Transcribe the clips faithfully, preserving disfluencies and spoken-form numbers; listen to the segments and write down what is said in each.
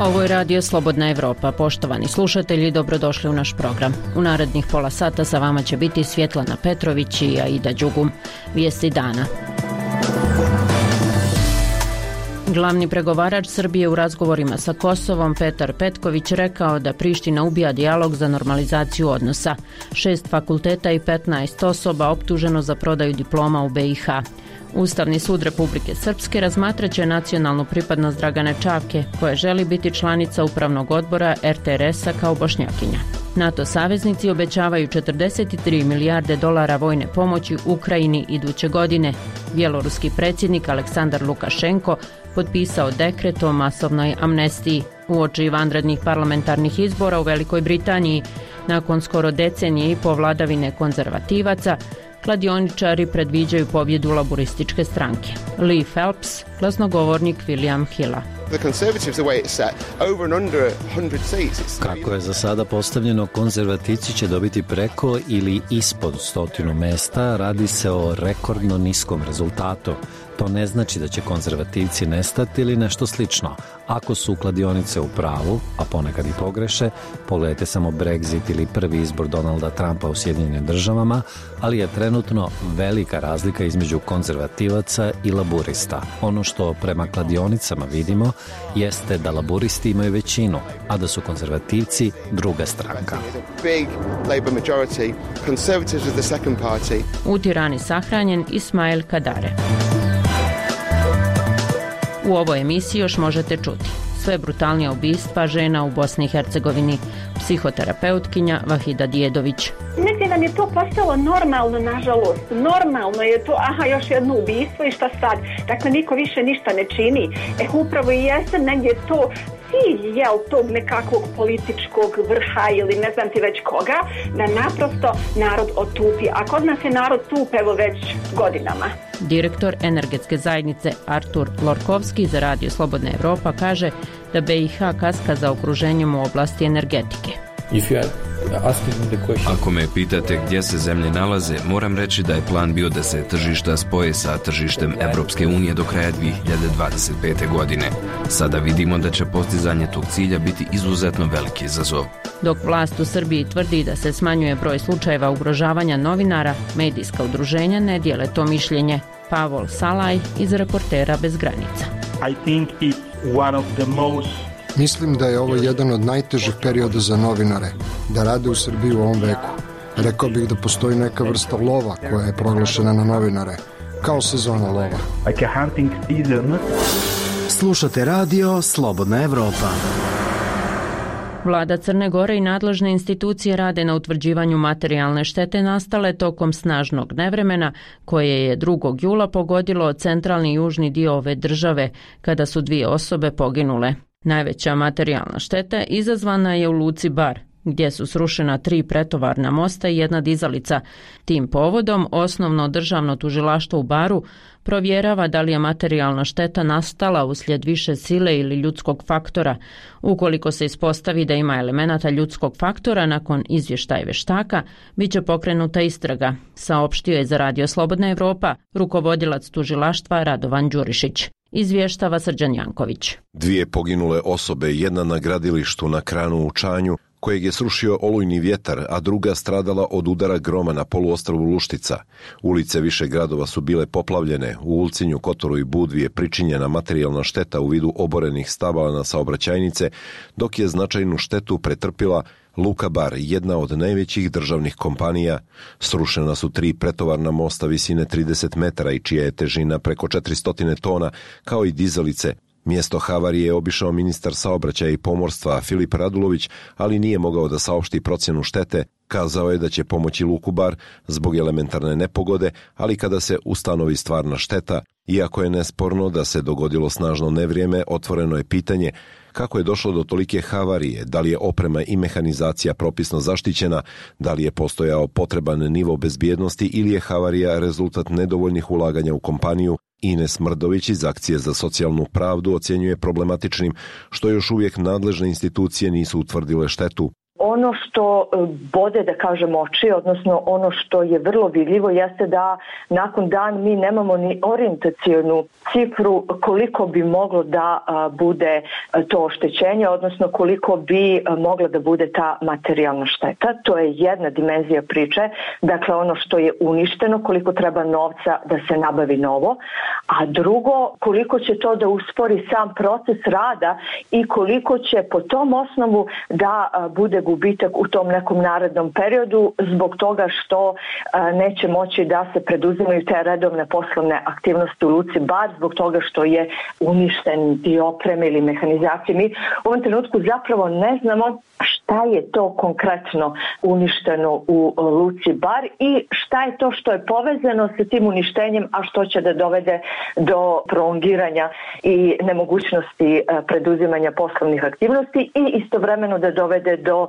Ovo je Radio Slobodna Evropa. Poštovani slušatelji, dobrodošli u naš program. U narednih pola sata sa vama će biti Svjetlana Petrović i Aida Đugum. Vijesti dana. Glavni pregovarač Srbije u razgovorima sa Kosovom, Petar Petković, rekao da Priština ubija dijalog za normalizaciju odnosa. Šest fakulteta i petnaest osoba optuženo za prodaju diploma u be i ha. Ustavni sud Republike Srpske razmatraće nacionalnu pripadnost Dragane Čavke, koja želi biti članica upravnog odbora er te er es-a kao Bošnjakinja. NATO saveznici obećavaju četrdeset tri milijarde dolara vojne pomoći Ukrajini iduće godine. Bjeloruski predsjednik Aleksandar Lukašenko potpisao dekret o masovnoj amnestiji. Uoči vanrednih parlamentarnih izbora u Velikoj Britaniji, nakon skoro decenije i po vladavine konzervativaca, kladioničari predviđaju pobjedu laburističke stranke. Lee Phelps, glasnogovornik William Hilla. Kako je za sada postavljeno, konzervativci će dobiti preko ili ispod stotinu mesta, radi se o rekordno niskom rezultatu. To ne znači da će konzervativci nestati ili nešto slično. Ako su kladionice u pravu, a ponekad i pogreše, pogledajte samo Brexit ili prvi izbor Donalda Trumpa u Sjedinjenim državama, ali je trenutno velika razlika između konzervativaca i laburista. Ono što prema kladionicama vidimo jeste da laburisti imaju većinu, a da su konzervativci druga stranka. U Tirani sahranjen Ismail Kadare. U ovoj emisiji još možete čuti sve brutalnija ubistva žena u Bosni i Hercegovini, psihoterapeutkinja Vahida Djedović. Negdje nam je to postalo normalno, nažalost. Normalno je to, aha, još jedno ubistvo i šta sad? Dakle, niko više ništa ne čini. E, upravo i jeste negdje to cilj, jel, tog nekakvog političkog vrha ili ne znam ti već koga, da naprosto narod otupi. A kod nas je narod tup, evo, već godinama. Direktor energetske zajednice Artur Lorkovski za Radio Slobodna Evropa kaže da be i ha kaska za okruženjem u oblasti energetike. Ako me pitate gdje se zemlje nalaze, moram reći da je plan bio da se tržišta spoje sa tržištem Evropske unije do kraja dvije hiljade dvadeset pete. godine. Sada vidimo da će postizanje tog cilja biti izuzetno veliki izazov. Dok vlast u Srbiji tvrdi da se smanjuje broj slučajeva ugrožavanja novinara, medijska udruženja ne dijele to mišljenje. Pavol Salaj iz Reportera bez granica. I think it's one of the most Mislim da je ovo jedan od najtežih perioda za novinare, da rade u Srbiji u ovom veku. Rekao bih da postoji neka vrsta lova koja je proglašena na novinare, kao sezona lova. like a hunting season. Slušate Radio Slobodna Evropa. Vlada Crne Gore i nadležne institucije rade na utvrđivanju materijalne štete nastale tokom snažnog nevremena koje je drugog jula pogodilo centralni i južni dio ove države kada su dvije osobe poginule. Najveća materijalna šteta izazvana je u luci Bar, gdje su srušena tri pretovarna mosta i jedna dizalica. Tim povodom osnovno državno tužilaštvo u Baru provjerava da li je materijalna šteta nastala uslijed više sile ili ljudskog faktora. Ukoliko se ispostavi da ima elemenata ljudskog faktora, nakon izvještaja veštaka, bit će pokrenuta istraga, saopštio je za Radio Slobodna Evropa rukovodilac tužilaštva Radovan Đurišić. Izvještava Srđan Janković. Dvije poginule osobe, jedna na gradilištu na Kranu u Čanju, kojeg je srušio olujni vjetar, a druga stradala od udara groma na poluostrvu Luštica. Ulice više gradova su bile poplavljene, u Ulcinju, Kotoru i Budvi je pričinjena materijalna šteta u vidu oborenih stabala na saobraćajnice, dok je značajnu štetu pretrpila Luka Bar, jedna od najvećih državnih kompanija. Srušena su tri pretovarna mosta visine trideset metara i čija je težina preko četiristo tona, kao i dizalice. Mjesto havarije je obišao ministar saobraćaja i pomorstva Filip Radulović, ali nije mogao da saopšti procjenu štete. Kazao je da će pomoći Luku Bar zbog elementarne nepogode, ali kada se ustanovi stvarna šteta, iako je nesporno da se dogodilo snažno nevrijeme, otvoreno je pitanje kako je došlo do tolike havarije, da li je oprema i mehanizacija propisno zaštićena, da li je postojao potreban nivo bezbjednosti ili je havarija rezultat nedovoljnih ulaganja u kompaniju. Ines Mrdović iz Akcije za socijalnu pravdu ocjenjuje problematičnim što još uvijek nadležne institucije nisu utvrdile štetu. Ono što bode, da kažem, oči, odnosno ono što je vrlo vidljivo, jeste da nakon dan mi nemamo ni orijentacionu cifru koliko bi moglo da bude to oštećenje, odnosno koliko bi mogla da bude ta materijalna šteta. To je jedna dimenzija priče, dakle ono što je uništeno, koliko treba novca da se nabavi novo, a drugo, koliko će to da uspori sam proces rada i koliko će po tom osnovu da bude gubitak u tom nekom narednom periodu zbog toga što neće moći da se preduzimaju te redovne poslovne aktivnosti u luci Bar, zbog toga što je uništen dio opreme ili mehanizacije. Mi u ovom trenutku zapravo ne znamo šta je to konkretno uništeno u luci Bar i šta je to što je povezano sa tim uništenjem, a što će da dovede do prolongiranja i nemogućnosti preduzimanja poslovnih aktivnosti i istovremeno da dovede do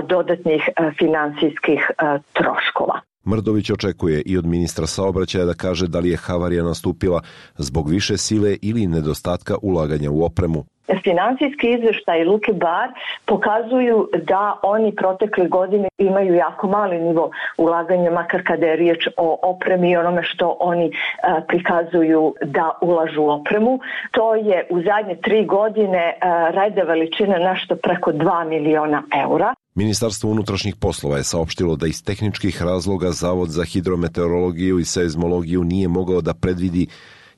dodatnih finansijskih troškova. Mrdović očekuje i od ministra saobraćaja da kaže da li je havarija nastupila zbog više sile ili nedostatka ulaganja u opremu. Finansijski izvještaj Luke Bar pokazuju da oni protekle godine imaju jako mali nivo ulaganja, makar kada je riječ o opremi i onome što oni a, prikazuju da ulažu u opremu. To je u zadnje tri godine a, reda veličine nešto preko dva miliona eura. Ministarstvo unutrašnjih poslova je saopštilo da iz tehničkih razloga Zavod za hidrometeorologiju i seizmologiju nije mogao da predvidi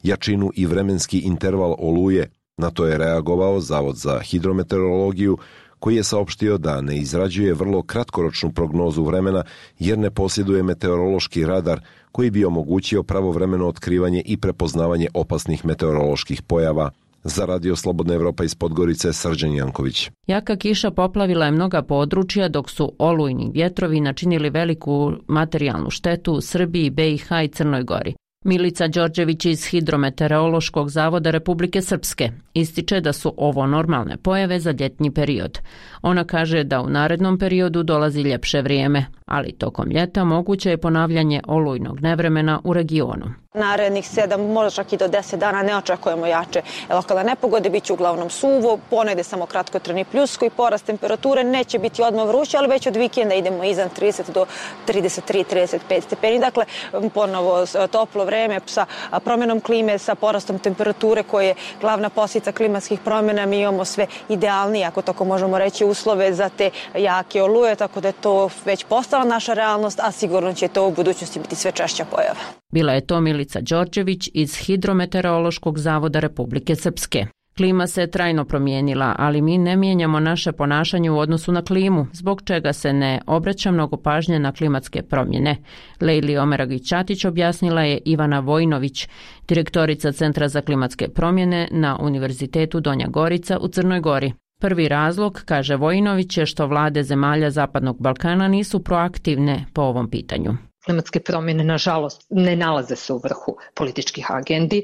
jačinu i vremenski interval oluje. Na to je reagovao Zavod za hidrometeorologiju, koji je saopštio da ne izrađuje vrlo kratkoročnu prognozu vremena jer ne posjeduje meteorološki radar koji bi omogućio pravovremeno otkrivanje i prepoznavanje opasnih meteoroloških pojava. Za Radio Slobodna Evropa iz Podgorice, Srđan Janković. Jaka kiša poplavila je mnoga područja, dok su olujni vjetrovi načinili veliku materijalnu štetu u Srbiji, B i H i Crnoj Gori. Milica Đorđević iz Hidrometeorološkog zavoda Republike Srpske ističe da su ovo normalne pojave za ljetni period. Ona kaže da u narednom periodu dolazi ljepše vrijeme, ali tokom ljeta moguće je ponavljanje olujnog nevremena u regionu. Narednih sedam, možda čak i do deset dana ne očekujemo jače lokalne nepogode, bit će uglavnom suvo, ponegde samo kratkotrajni pljusko i porast temperature, neće biti odmah vruće, ali već od vikenda idemo iznad trideset do trideset tri trideset pet stepeni. Dakle, ponovo toplo vreme sa promjenom klime, sa porastom temperature koje je glavna posljedica klimatskih promjena. Mi imamo sve idealnije, ako tako možemo reći, uslove za te jake oluje, tako da je to već postala naša realnost, a sigurno će to u budućnosti biti sve češća pojava. Bila je to Milica Đorđević iz Hidrometeorološkog zavoda Republike Srpske. Klima se trajno promijenila, ali mi ne mijenjamo naše ponašanje u odnosu na klimu, zbog čega se ne obraća mnogo pažnje na klimatske promjene. Lejli Omeragić-Ćatić objasnila je Ivana Vojinović, direktorica Centra za klimatske promjene na Univerzitetu Donja Gorica u Crnoj Gori. Prvi razlog, kaže Vojinović, je što vlade zemalja Zapadnog Balkana nisu proaktivne po ovom pitanju. Klimatske promjene, nažalost, ne nalaze se u vrhu političkih agendi.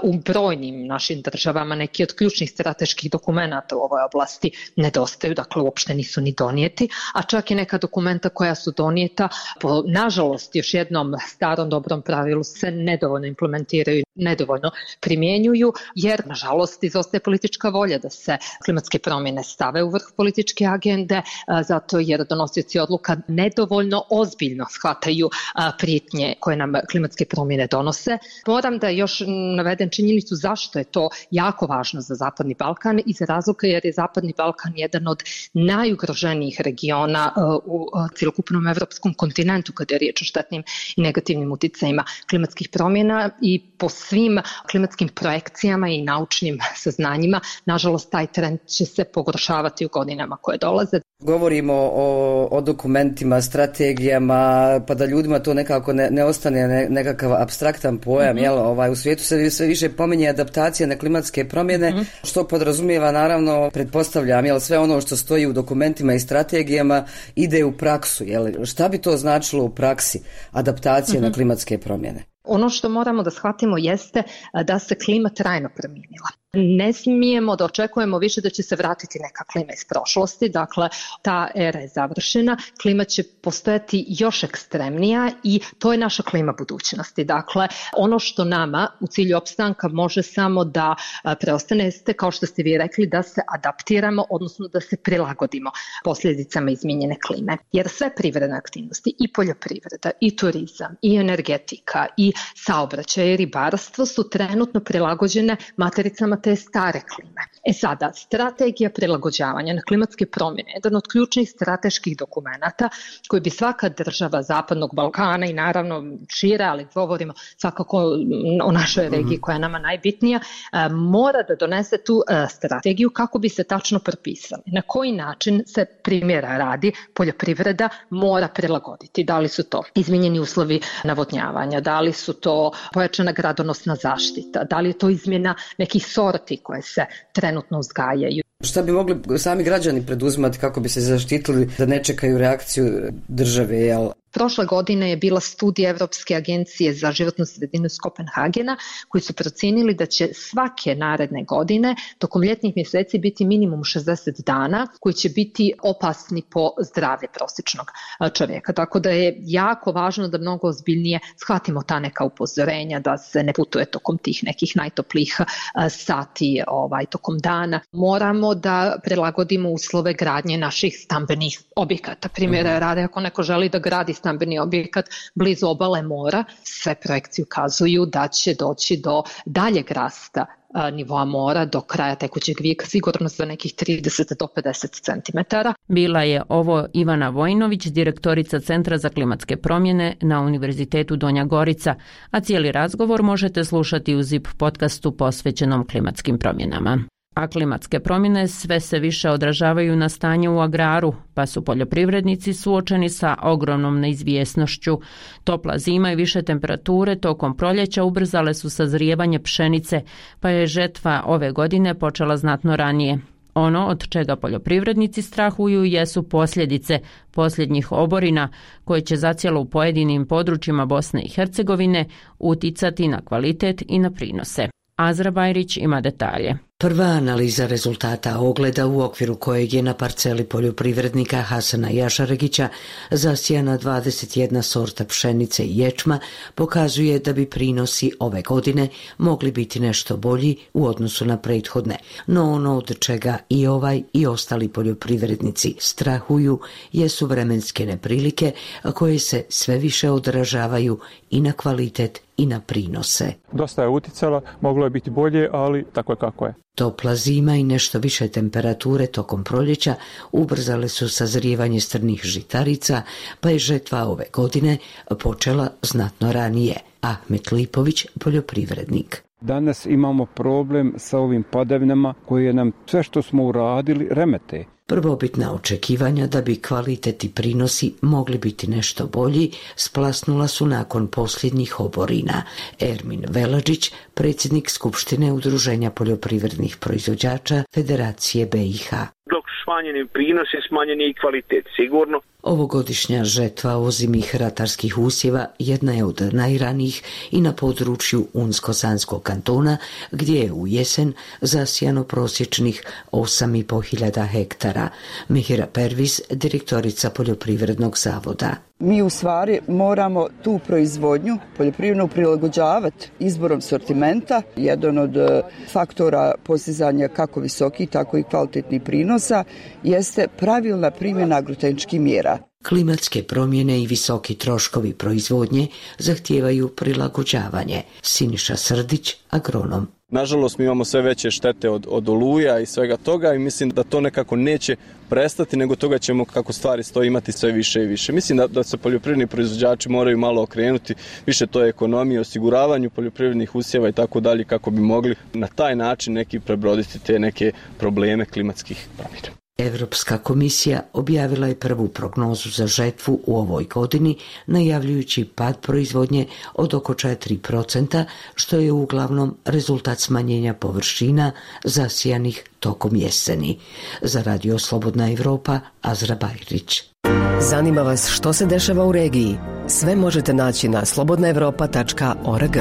U brojnim našim državama neki od ključnih strateških dokumenata u ovoj oblasti nedostaju, dakle uopšte nisu ni donijeti, a čak i neka dokumenta koja su donijeta, po, nažalost, još jednom starom dobrom pravilu se nedovoljno implementiraju, nedovoljno primjenjuju, jer, nažalost, izostaje politička volja da se klimatske promjene stave u vrh političke agende, zato jer donosioci odluka nedovoljno ozbiljno shvataju prijetnje koje nam klimatske promjene donose. Moram da još navedem činjenicu zašto je to jako važno za Zapadni Balkan i za razloga jer je Zapadni Balkan jedan od najugroženijih regiona u cjelokupnom evropskom kontinentu kada je riječ o štetnim i negativnim uticajima klimatskih promjena i po svim klimatskim projekcijama i naučnim saznanjima, nažalost, taj trend će se pogoršavati u godinama koje dolaze. Govorimo o, o dokumentima, strategijama, pa da ljudima to nekako ne, ne ostane ne, nekakav apstraktan pojam, mm-hmm. jel, ovaj, u svijetu se sve više pominje adaptacija na klimatske promjene, mm-hmm. što podrazumijeva, naravno, pretpostavljam, jel, sve ono što stoji u dokumentima i strategijama ide u praksu, jel, šta bi to značilo u praksi, adaptacija mm-hmm. na klimatske promjene? Ono što moramo da shvatimo jeste da se klima trajno promijenila. Ne smijemo da očekujemo više da će se vratiti neka klima iz prošlosti, dakle ta era je završena, klima će postojati još ekstremnija i to je naša klima budućnosti. Dakle, ono što nama u cilju opstanka može samo da preostane jeste, kao što ste vi rekli, da se adaptiramo, odnosno da se prilagodimo posljedicama izmijenjene klime. Jer sve privredne aktivnosti, i poljoprivreda, i turizam, i energetika, i saobraćaj, i ribarstvo su trenutno prilagođene matericama te stare klime. E sada, strategija prilagođavanja na klimatske promjene je jedan od ključnih strateških dokumenata koji bi svaka država Zapadnog Balkana i naravno šire, ali govorimo svakako o našoj regiji koja je nama najbitnija, mora da donese tu strategiju kako bi se tačno propisali. Na koji način se, primjera radi, poljoprivreda mora prilagoditi. Da li su to izmijenjeni uslovi navodnjavanja, da li su to pojačana gradonosna zaštita, da li je to izmjena nekih sorti koje se trenutno uzgajaju. Šta bi mogli sami građani preduzimati kako bi se zaštitili da ne čekaju reakciju države, jel? Prošle godine je bila studija Evropske agencije za životnu sredinu iz Kopenhagena koji su procijenili da će svake naredne godine tokom ljetnih mjeseci biti minimum šezdeset dana koji će biti opasni po zdravlje prosječnog čovjeka. Tako da je jako važno da mnogo ozbiljnije shvatimo ta neka upozorenja da se ne putuje tokom tih nekih najtoplijih sati ovaj, tokom dana. Moramo da prilagodimo uslove gradnje naših stambenih objekata. Primjera rade, ako neko želi da gradi stambeni objekat blizu obale mora, sve projekcije ukazuju da će doći do daljeg rasta nivoa mora do kraja tekućeg vijeka, sigurno za nekih trideset do pedeset centimetara. Bila je ovo Ivana Vojinović, direktorica Centra za klimatske promjene na Univerzitetu Donja Gorica, a cijeli razgovor možete slušati u Zip podcastu posvećenom klimatskim promjenama. A klimatske promjene sve se više odražavaju na stanje u agraru, pa su poljoprivrednici suočeni sa ogromnom neizvjesnošću. Topla zima i više temperature tokom proljeća ubrzale su sazrijevanje pšenice, pa je žetva ove godine počela znatno ranije. Ono od čega poljoprivrednici strahuju jesu posljedice posljednjih oborina koje će zacijelo u pojedinim područjima Bosne i Hercegovine uticati na kvalitet i na prinose. Azra Bajrić ima detalje. Prva analiza rezultata ogleda u okviru kojeg je na parceli poljoprivrednika Hasana Jašaregića zasijana dvadeset jedna sorta pšenice i ječma pokazuje da bi prinosi ove godine mogli biti nešto bolji u odnosu na prethodne. No ono od čega i ovaj i ostali poljoprivrednici strahuju jesu vremenske neprilike koje se sve više odražavaju i na kvalitet i na prinose. Dosta je uticala, moglo je biti bolje, ali tako je kako je. Topla zima i nešto više temperature tokom proljeća ubrzale su sazrijevanje strnih žitarica, pa je žetva ove godine počela znatno ranije. Ahmet Lipović, poljoprivrednik. Danas imamo problem sa ovim padavinama koje nam sve što smo uradili remete. Prvobitna očekivanja da bi kvalitet i prinosi mogli biti nešto bolji splasnula su nakon posljednjih oborina. Ermin Veladžić, predsjednik Skupštine Udruženja poljoprivrednih proizvođača Federacije B i H. Dok smanjeni prinosi, smanjeni i kvalitet, sigurno. Ovogodišnja žetva ozimih ratarskih usjeva jedna je od najranijih i na području Unsko-Sanskog kantona, gdje je u jesen zasijano prosječnih osam i po hiljada hektara. Mihira Pervis, direktorica Poljoprivrednog zavoda. Mi u stvari moramo tu proizvodnju poljoprivrednu prilagođavati izborom sortimenta. Jedan od faktora postizanja kako visokih, tako i kvalitetnih prinosa jeste pravilna primjena agrotehničkih mjera. Klimatske promjene i visoki troškovi proizvodnje zahtijevaju prilagođavanje. Siniša Srdić, agronom. Nažalost, mi imamo sve veće štete od, od oluja i svega toga i mislim da to nekako neće prestati, nego toga ćemo, kako stvari stoji, imati sve više i više. Mislim da, da se poljoprivredni proizvođači moraju malo okrenuti, više to je ekonomija, osiguravanju poljoprivrednih usjeva i tako dalje, kako bi mogli na taj način neki prebroditi te neke probleme klimatskih promjena. Europska komisija objavila je prvu prognozu za žetvu u ovoj godini, najavljujući pad proizvodnje od oko četiri procenta, što je uglavnom rezultat smanjenja površina zasijanih tokom jeseni. Za Radio Slobodna Evropa, Azra Bajrić. Zanima vas što se dešava u regiji? Sve možete naći na slobodna evropa tačka org.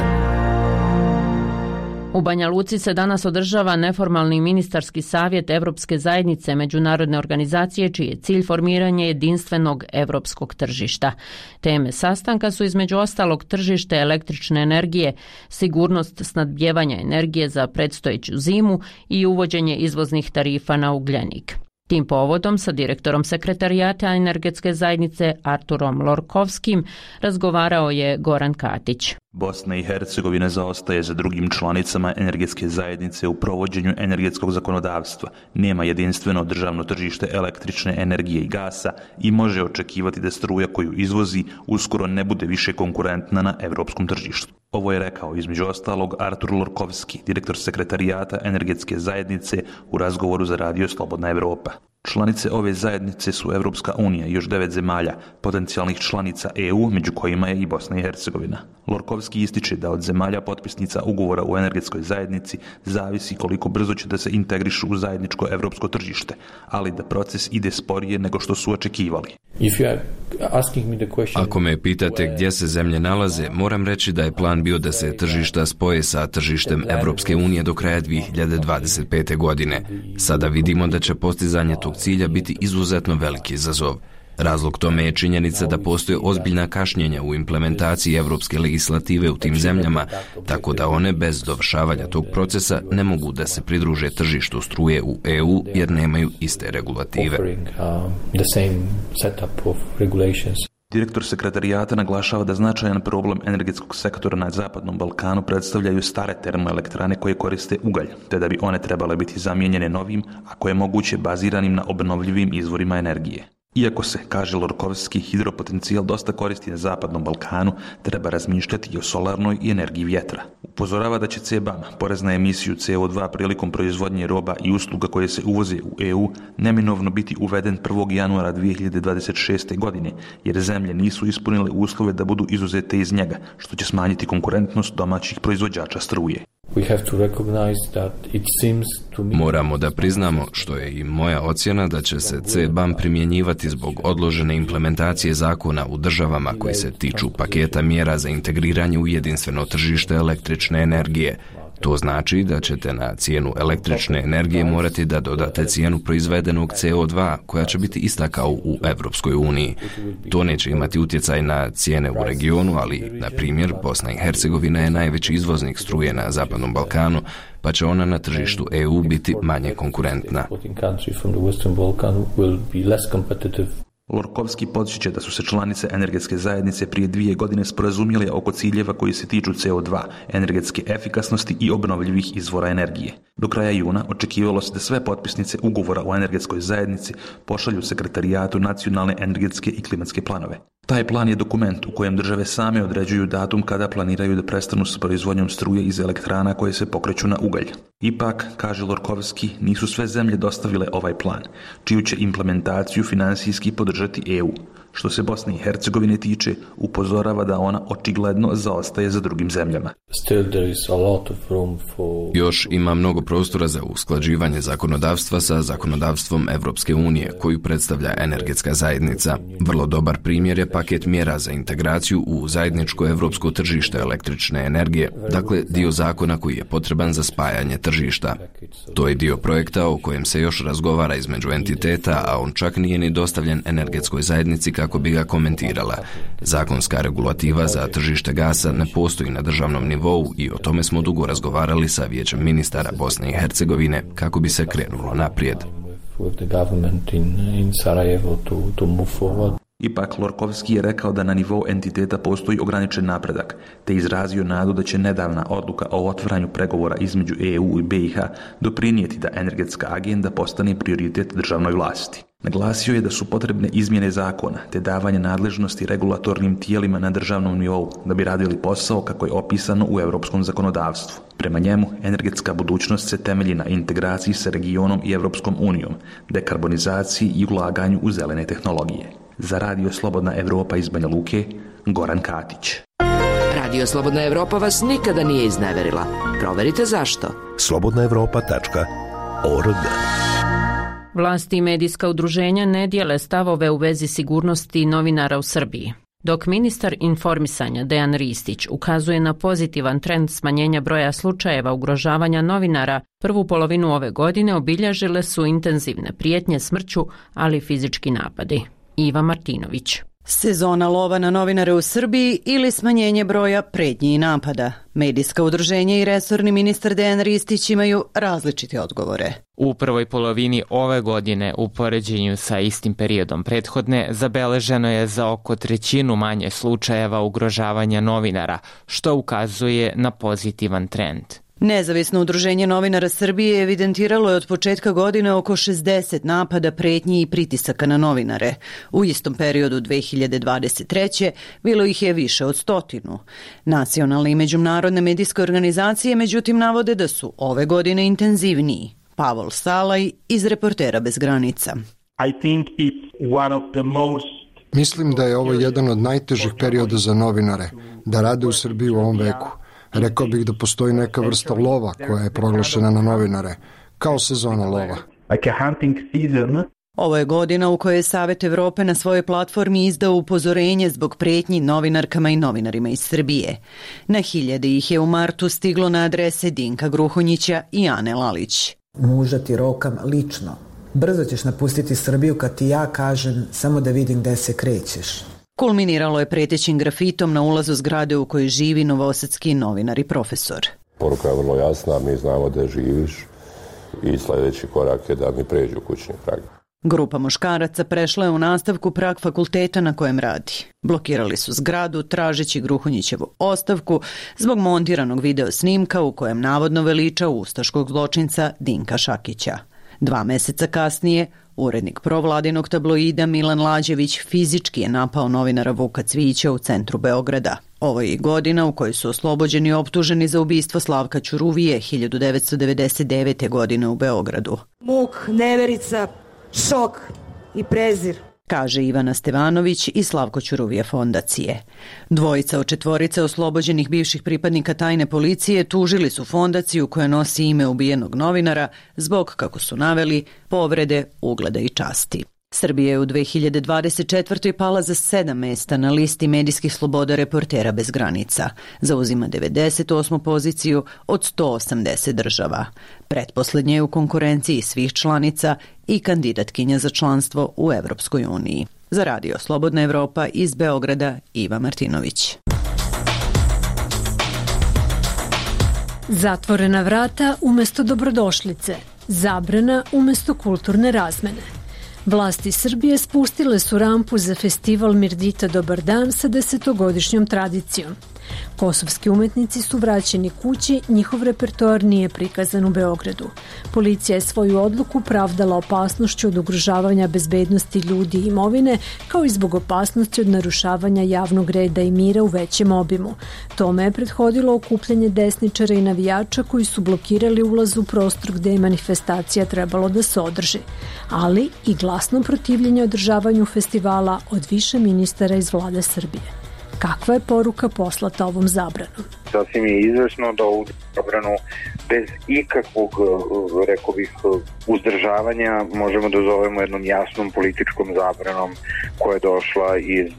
U Banja Luci se danas održava neformalni ministarski savjet Evropske zajednice međunarodne organizacije čiji je cilj formiranje jedinstvenog evropskog tržišta. Teme sastanka su između ostalog tržište električne energije, sigurnost snabdijevanja energije za predstojeću zimu i uvođenje izvoznih tarifa na ugljenik. Tim povodom sa direktorom sekretarijata energetske zajednice Arturom Lorkovskim razgovarao je Goran Katić. Bosna i Hercegovina zaostaje za drugim članicama energetske zajednice u provođenju energetskog zakonodavstva, nema jedinstveno državno tržište električne energije i gasa i može očekivati da struja koju izvozi uskoro ne bude više konkurentna na evropskom tržištu. Ovo je rekao između ostalog Artur Lorkovski, direktor sekretarijata energetske zajednice u razgovoru za radio Slobodna Evropa. Članice ove zajednice su Evropska unija i još devet zemalja, potencijalnih članica E U, među kojima je i Bosna i Hercegovina. Lorkovski ističe da od zemalja potpisnica ugovora u energetskoj zajednici zavisi koliko brzo će da se integrišu u zajedničko evropsko tržište, ali da proces ide sporije nego što su očekivali. Ako me pitate gdje se zemlje nalaze, moram reći da je plan bio da se tržišta spoje sa tržištem Evropske unije do kraja dvije hiljade dvadeset pete. godine. Sada vidimo da će postizanje tog cilja biti izuzetno veliki izazov. Razlog tome je činjenica da postoje ozbiljna kašnjenja u implementaciji evropske legislative u tim zemljama, tako da one bez dovršavanja tog procesa ne mogu da se pridruže tržištu struje u E U jer nemaju iste regulative. Direktor sekretarijata naglašava da značajan problem energetskog sektora na Zapadnom Balkanu predstavljaju stare termoelektrane koje koriste ugalj, te da bi one trebale biti zamijenjene novim, ako je moguće baziranim na obnovljivim izvorima energije. Iako se, kaže Lorkovski, hidropotencijal dosta koristi na Zapadnom Balkanu, treba razmišljati i o solarnoj i energiji vjetra. Upozorava da će C B A M, porez na emisiju C O dva prilikom proizvodnje roba i usluga koje se uvoze u E U, neminovno biti uveden prvog januara dvije hiljade dvadeset šeste. godine, jer zemlje nisu ispunile uslove da budu izuzete iz njega, što će smanjiti konkurentnost domaćih proizvođača struje. Moramo da priznamo, što je i moja ocjena, da će se C B A M primjenjivati zbog odložene implementacije zakona u državama koji se tiču paketa mjera za integriranje u jedinstveno tržište električne energije. To znači da ćete na cijenu električne energije morati da dodate cijenu proizvedenog C O dva, koja će biti ista kao u Evropskoj uniji. To neće imati utjecaj na cijene u regionu, ali, na primjer, Bosna i Hercegovina je najveći izvoznik struje na Zapadnom Balkanu, pa će ona na tržištu E U biti manje konkurentna. Lorkovski podsjeća da su se članice energetske zajednice prije dvije godine sporazumjele oko ciljeva koji se tiču C O dva, energetske efikasnosti i obnovljivih izvora energije. Do kraja juna očekivalo se da sve potpisnice ugovora o energetskoj zajednici pošalju sekretarijatu nacionalne energetske i klimatske planove. Taj plan je dokument u kojem države same određuju datum kada planiraju da prestanu s proizvodnjom struje iz elektrana koje se pokreću na ugalj. Ipak, kaže Lorkovski, nisu sve zemlje dostavile ovaj plan, čiju će implementaciju finansijski podržati E U. Što se Bosne i Hercegovine tiče, upozorava da ona očigledno zaostaje za drugim zemljama. Još ima mnogo prostora za usklađivanje zakonodavstva sa zakonodavstvom Evropske unije, koju predstavlja energetska zajednica. Vrlo dobar primjer je paket mjera za integraciju u zajedničko evropsko tržište električne energije, dakle dio zakona koji je potreban za spajanje tržišta. To je dio projekta o kojem se još razgovara između entiteta, a on čak nije ni dostavljen energetskoj zajednici kako bi ga komentirala. Zakonska regulativa za tržište gasa ne postoji na državnom nivou i o tome smo dugo razgovarali sa Vijećem ministara Bosne i Hercegovine kako bi se krenulo naprijed. Ipak, Lorkovski je rekao da na nivou entiteta postoji ograničen napredak, te izrazio nadu da će nedavna odluka o otvaranju pregovora između E U i B i H doprinijeti da energetska agenda postane prioritet državnoj vlasti. Naglasio je da su potrebne izmjene zakona te davanje nadležnosti regulatornim tijelima na državnom nivou da bi radili posao kako je opisano u europskom zakonodavstvu. Prema njemu, energetska budućnost se temelji na integraciji sa regionom i Evropskom unijom, dekarbonizaciji i ulaganju u zelene tehnologije. Za Radio Slobodna Evropa iz Banja Luke, Goran Katić. Radio Slobodna Evropa vas nikada nije izneverila. Proverite zašto. slobodna evropa tačka org. Vlasti i medijska udruženja ne dijele stavove u vezi sigurnosti novinara u Srbiji. Dok ministar informisanja Dejan Ristić ukazuje na pozitivan trend smanjenja broja slučajeva ugrožavanja novinara, prvu polovinu ove godine obilježile su intenzivne prijetnje smrću, ali i fizički napadi. Iva Martinović. Sezona lova na novinare u Srbiji ili smanjenje broja pretnji i napada. Medijska udruženja i resorni ministar Dejan Ristić imaju različite odgovore. U prvoj polovini ove godine, u poređenju sa istim periodom prethodne, zabeleženo je za oko trećinu manje slučajeva ugrožavanja novinara, što ukazuje na pozitivan trend. Nezavisno udruženje novinara Srbije evidentiralo je od početka godine oko šezdeset napada, pretnji i pritisaka na novinare. U istom periodu dve hiljade dvadeset treće bilo ih je više od stotinu. Nacionalne i međunarodne medijske organizacije međutim navode da su ove godine intenzivniji. Pavol Salaj iz Reportera bez granica. I think it's one of the most Mislim da je ovo jedan od najtežih perioda za novinare, da rade u Srbiji u ovom veku. Rekao bih da postoji neka vrsta lova koja je proglašena na novinare, kao sezona lova. Like a hunting season. Ovo je godina u kojoj je Savet Evrope na svojoj platformi izdao upozorenje zbog pretnji novinarkama i novinarima iz Srbije. Na hiljade ih je u martu stiglo na adrese Dinka Gruhonjića i Ane Lalić. Muža ti rokam lično. Brzo ćeš napustiti Srbiju kad ti ja kažem samo da vidim gde se krećeš. Kulminiralo je pretećim grafitom na ulazu zgrade u kojoj živi novosadski novinar i profesor. Poruka je vrlo jasna, mi znamo da živiš i sljedeći korak je da mi pređu kućni prag. Grupa muškaraca prešla je u nastavku prag fakulteta na kojem radi. Blokirali su zgradu tražeći Gruhonjićevu ostavku zbog montiranog video snimka u kojem navodno veliča ustaškog zločinca Dinka Šakića. Dva meseca kasnije, urednik provladinog tabloida Milan Lađević fizički je napao novinara Vuka Cvijića u centru Beograda. Ovo je i godina u kojoj su oslobođeni optuženi za ubistvo Slavka Ćuruvije hiljadu devetsto devedeset devete. godine u Beogradu. Muk, neverica, šok i prezir, kaže Ivana Stevanović iz Slavko Ćuruvije fondacije. Dvojica od četvorice oslobođenih bivših pripadnika tajne policije tužili su fondaciju koja nosi ime ubijenog novinara zbog, kako su naveli, povrede ugleda i časti. Srbija je u dve hiljade dvadeset četvrtoj pala za sedam mesta na listi medijskih sloboda Reportera bez granica. Zauzima devedeset osmu poziciju od sto osamdeset država. Pretposlednje je u konkurenciji svih članica i kandidatkinja za članstvo u Evropskoj uniji. Za Radio Slobodna Evropa iz Beograda, Iva Martinović. Zatvorena vrata umesto dobrodošlice, zabrana umesto kulturne razmene. Vlasti Srbije spustile su rampu za festival Mirdita Dobar dan sa desetogodišnjom tradicijom. Kosovski umetnici su vraćeni kući, njihov repertoar nije prikazan u Beogradu. Policija je svoju odluku pravdala opasnošću od ugrožavanja bezbednosti ljudi i imovine, kao i zbog opasnosti od narušavanja javnog reda i mira u većem obimu. Tome je prethodilo okupljanje desničara i navijača koji su blokirali ulaz u prostor gde je manifestacija trebalo da se održi, ali i glasno protivljenje održavanju festivala od više ministara iz vlade Srbije. Kakva je poruka poslata ovom zabranom? Sasvim je izvesno da ovu zabranu bez ikakvog, rekao bih, uzdržavanja možemo da zovemo jednom jasnom političkom zabranom koja je došla iz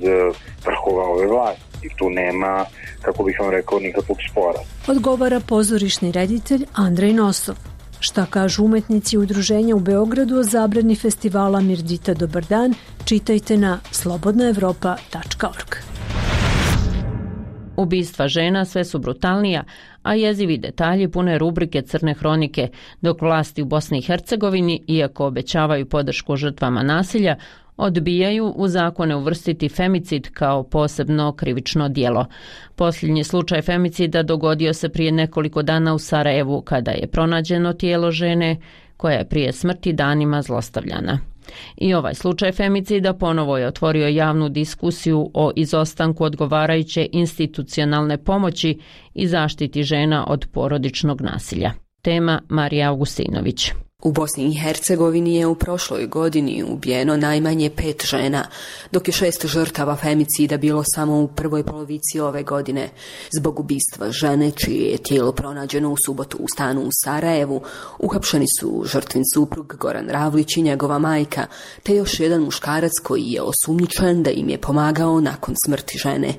vrhova ove vlasti. I tu nema, kako bih vam rekao, nikakvog spora. Odgovara pozorišni reditelj Andrej Nosov. Šta kažu umetnici udruženja u Beogradu o zabrani festivala Mirdita Dobar dan, čitajte na slobodna evropa tačka org. Ubistva žena sve su brutalnija, a jezivi detalji pune rubrike Crne hronike, dok vlasti u Bosni i Hercegovini, iako obećavaju podršku žrtvama nasilja, odbijaju u zakone uvrstiti femicid kao posebno krivično djelo. Posljednji slučaj femicida dogodio se prije nekoliko dana u Sarajevu, kada je pronađeno tijelo žene koja je prije smrti danima zlostavljana. I ovaj slučaj femicida ponovo je otvorio javnu diskusiju o izostanku odgovarajuće institucionalne pomoći i zaštiti žena od porodičnog nasilja. Tema Marija Augustinović. U Bosni i Hercegovini je u prošloj godini ubijeno najmanje pet žena, dok je šest žrtava femicida bilo samo u prvoj polovici ove godine. Zbog ubistva žene, čije je tijelo pronađeno u subotu u stanu u Sarajevu, uhapšeni su žrtvin suprug Goran Ravlić i njegova majka, te još jedan muškarac koji je osumnjičen da im je pomagao nakon smrti žene.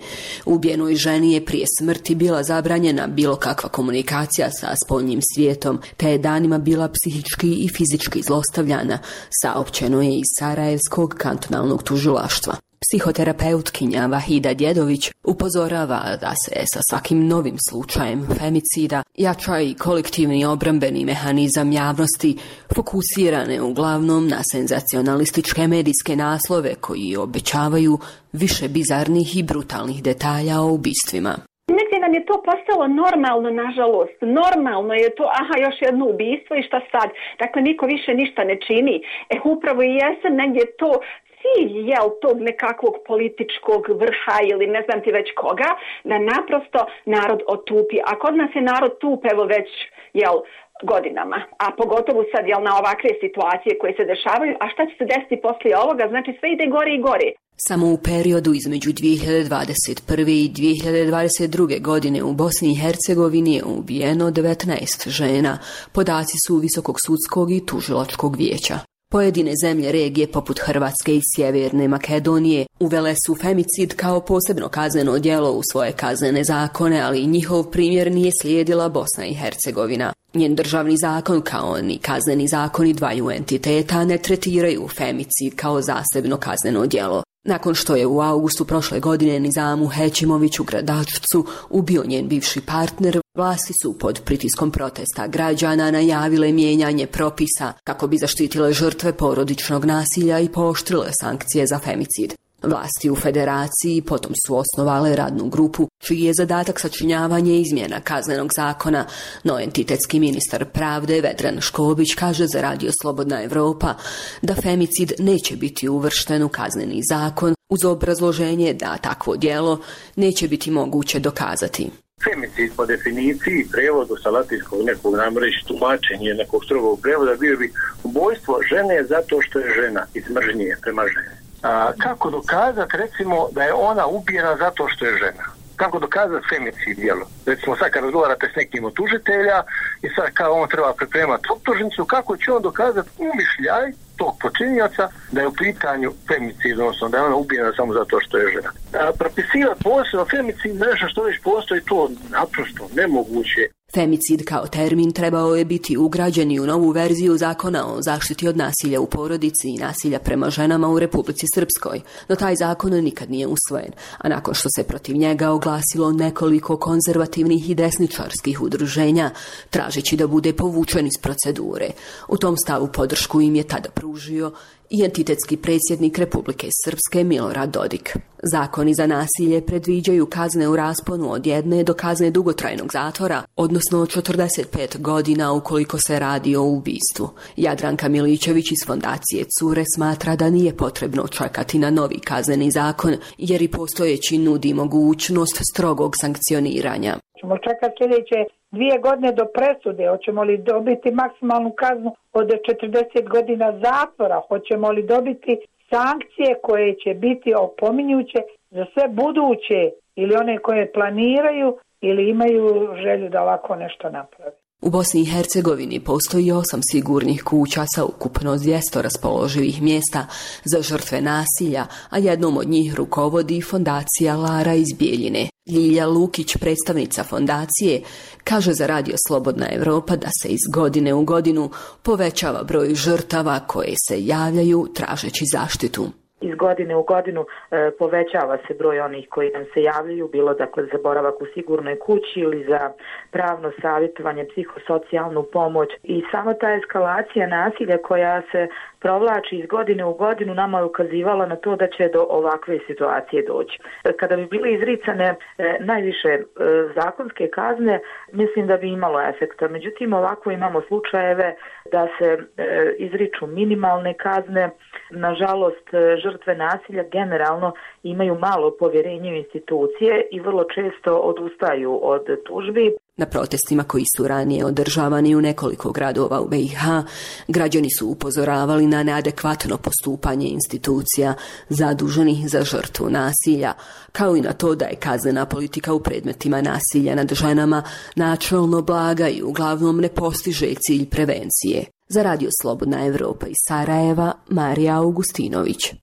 Ubijenoj ženi je prije smrti bila zabranjena bilo kakva komunikacija sa spoljnim svijetom, te je danima bila psihički i fizički zlostavljana, saopćeno je iz Sarajevskog kantonalnog tužilaštva. Psihoterapeutkinja Vahida Djedović upozorava da se sa svakim novim slučajem femicida jača i kolektivni obrambeni mehanizam javnosti, fokusirane uglavnom na senzacionalističke medijske naslove koji obećavaju više bizarnih i brutalnih detalja o ubistvima. Negdje nam je to postalo normalno, nažalost. Normalno je to, aha, još jedno ubistvo i šta sad? Dakle, niko više ništa ne čini. E, upravo i jesam negdje to cilj, jel, tog nekakvog političkog vrha ili ne znam ti već koga, da naprosto narod otupi. A kod nas je narod tup, evo već, jel, godinama. A pogotovo sad, jel, na ovakve situacije koje se dešavaju. A šta će se desiti poslije ovoga? Znači, sve ide gore i gore. Samo u periodu između dvije hiljade dvadeset prve. i dvije hiljade dvadeset druge. godine u Bosni i Hercegovini je ubijeno devetnaest žena. Podaci su Visokog sudskog i tužilačkog vijeća. Pojedine zemlje regije poput Hrvatske i Sjeverne Makedonije uvele su femicid kao posebno kazneno djelo u svoje kaznene zakone, ali njihov primjer nije slijedila Bosna i Hercegovina. Njen državni zakon kao ni kazneni zakoni dvaju entiteta ne tretiraju femicid kao zasebno kazneno djelo. Nakon što je u augustu prošle godine Nizamu Hećimović u Gradačcu ubio njen bivši partner, vlasti su pod pritiskom protesta građana najavile mijenjanje propisa kako bi zaštitile žrtve porodičnog nasilja i pooštrile sankcije za femicid. Vlasti u federaciji potom su osnovale radnu grupu čiji je zadatak sačinjavanje izmjena kaznenog zakona, no entitetski ministar pravde Vedran Škobić kaže za Radio Slobodna Evropa da femicid neće biti uvršten u kazneni zakon uz obrazloženje da takvo djelo neće biti moguće dokazati. Femicid po definiciji, prevodu sa latinskog nekog, nam reći tumačenje nekog strogog prevoda, bio bi ubojstvo žene zato što je žena, iz mržnje prema ženi. A, kako dokazati, recimo, da je ona ubijena zato što je žena? Kako dokazati femicid djelo? Recimo, sad kad razgovarate s nekim od tužitelja i sad kao on treba pripremati optužnicu, kako će on dokazati umišljaj tog počinjaca da je u pitanju femicid, odnosno da je ona ubijena samo zato što je žena. A, propisivati posebno femicid nešto što već postoji, to naprosto nemoguće. Femicid kao termin trebao je biti ugrađen i u novu verziju zakona o zaštiti od nasilja u porodici i nasilja prema ženama u Republici Srpskoj, no taj zakon nikad nije usvojen, a nakon što se protiv njega oglasilo nekoliko konzervativnih i desničarskih udruženja, tražeći da bude povučen iz procedure. U tom stavu podršku im je tada pružio i entitetski predsjednik Republike Srpske Milorad Dodik. Zakoni za nasilje predviđaju kazne u rasponu od jedne do kazne dugotrajnog zatvora, odnosno četrdeset pet godina ukoliko se radi o ubistvu. Jadranka Milićević iz fondacije Cure smatra da nije potrebno čekati na novi kazneni zakon, jer i postojeći nudi mogućnost strogog sankcioniranja. Ćemo čekati sljedeće dvije godine do presude, hoćemo li dobiti maksimalnu kaznu od četrdeset godina zatvora, hoćemo li dobiti sankcije koje će biti opominjuće za sve buduće ili one koje planiraju ili imaju želju da ovako nešto naprave. U Bosni i Hercegovini postoji osam sigurnih kuća sa ukupno dvjesto raspoloživih mjesta za žrtve nasilja, a jednom od njih rukovodi fondacija Lara iz Bijeljine. Ljilja Lukić, predstavnica fondacije, kaže za Radio Slobodna Evropa da se iz godine u godinu povećava broj žrtava koje se javljaju tražeći zaštitu. Iz godine u godinu e, povećava se broj onih koji nam se javljaju, bilo dakle za boravak u sigurnoj kući ili za pravno savjetovanje, psihosocijalnu pomoć. I sama ta eskalacija nasilja koja se provlači iz godine u godinu nama je ukazivala na to da će do ovakve situacije doći. Kada bi bile izricane e, najviše e, zakonske kazne, mislim da bi imalo efekta. Međutim, ovako imamo slučajeve da se e, izriču minimalne kazne. Nažalost, žrtve nasilja generalno imaju malo povjerenje u institucije i vrlo često odustaju od tužbi. Na protestima koji su ranije održavani u nekoliko gradova u B i H, građani su upozoravali na neadekvatno postupanje institucija zaduženih za žrtvu nasilja, kao i na to da je kaznena politika u predmetima nasilja nad ženama načelno blaga i uglavnom ne postiže cilj prevencije. Za Radio Slobodna Evropa iz Sarajeva, Marija Augustinović.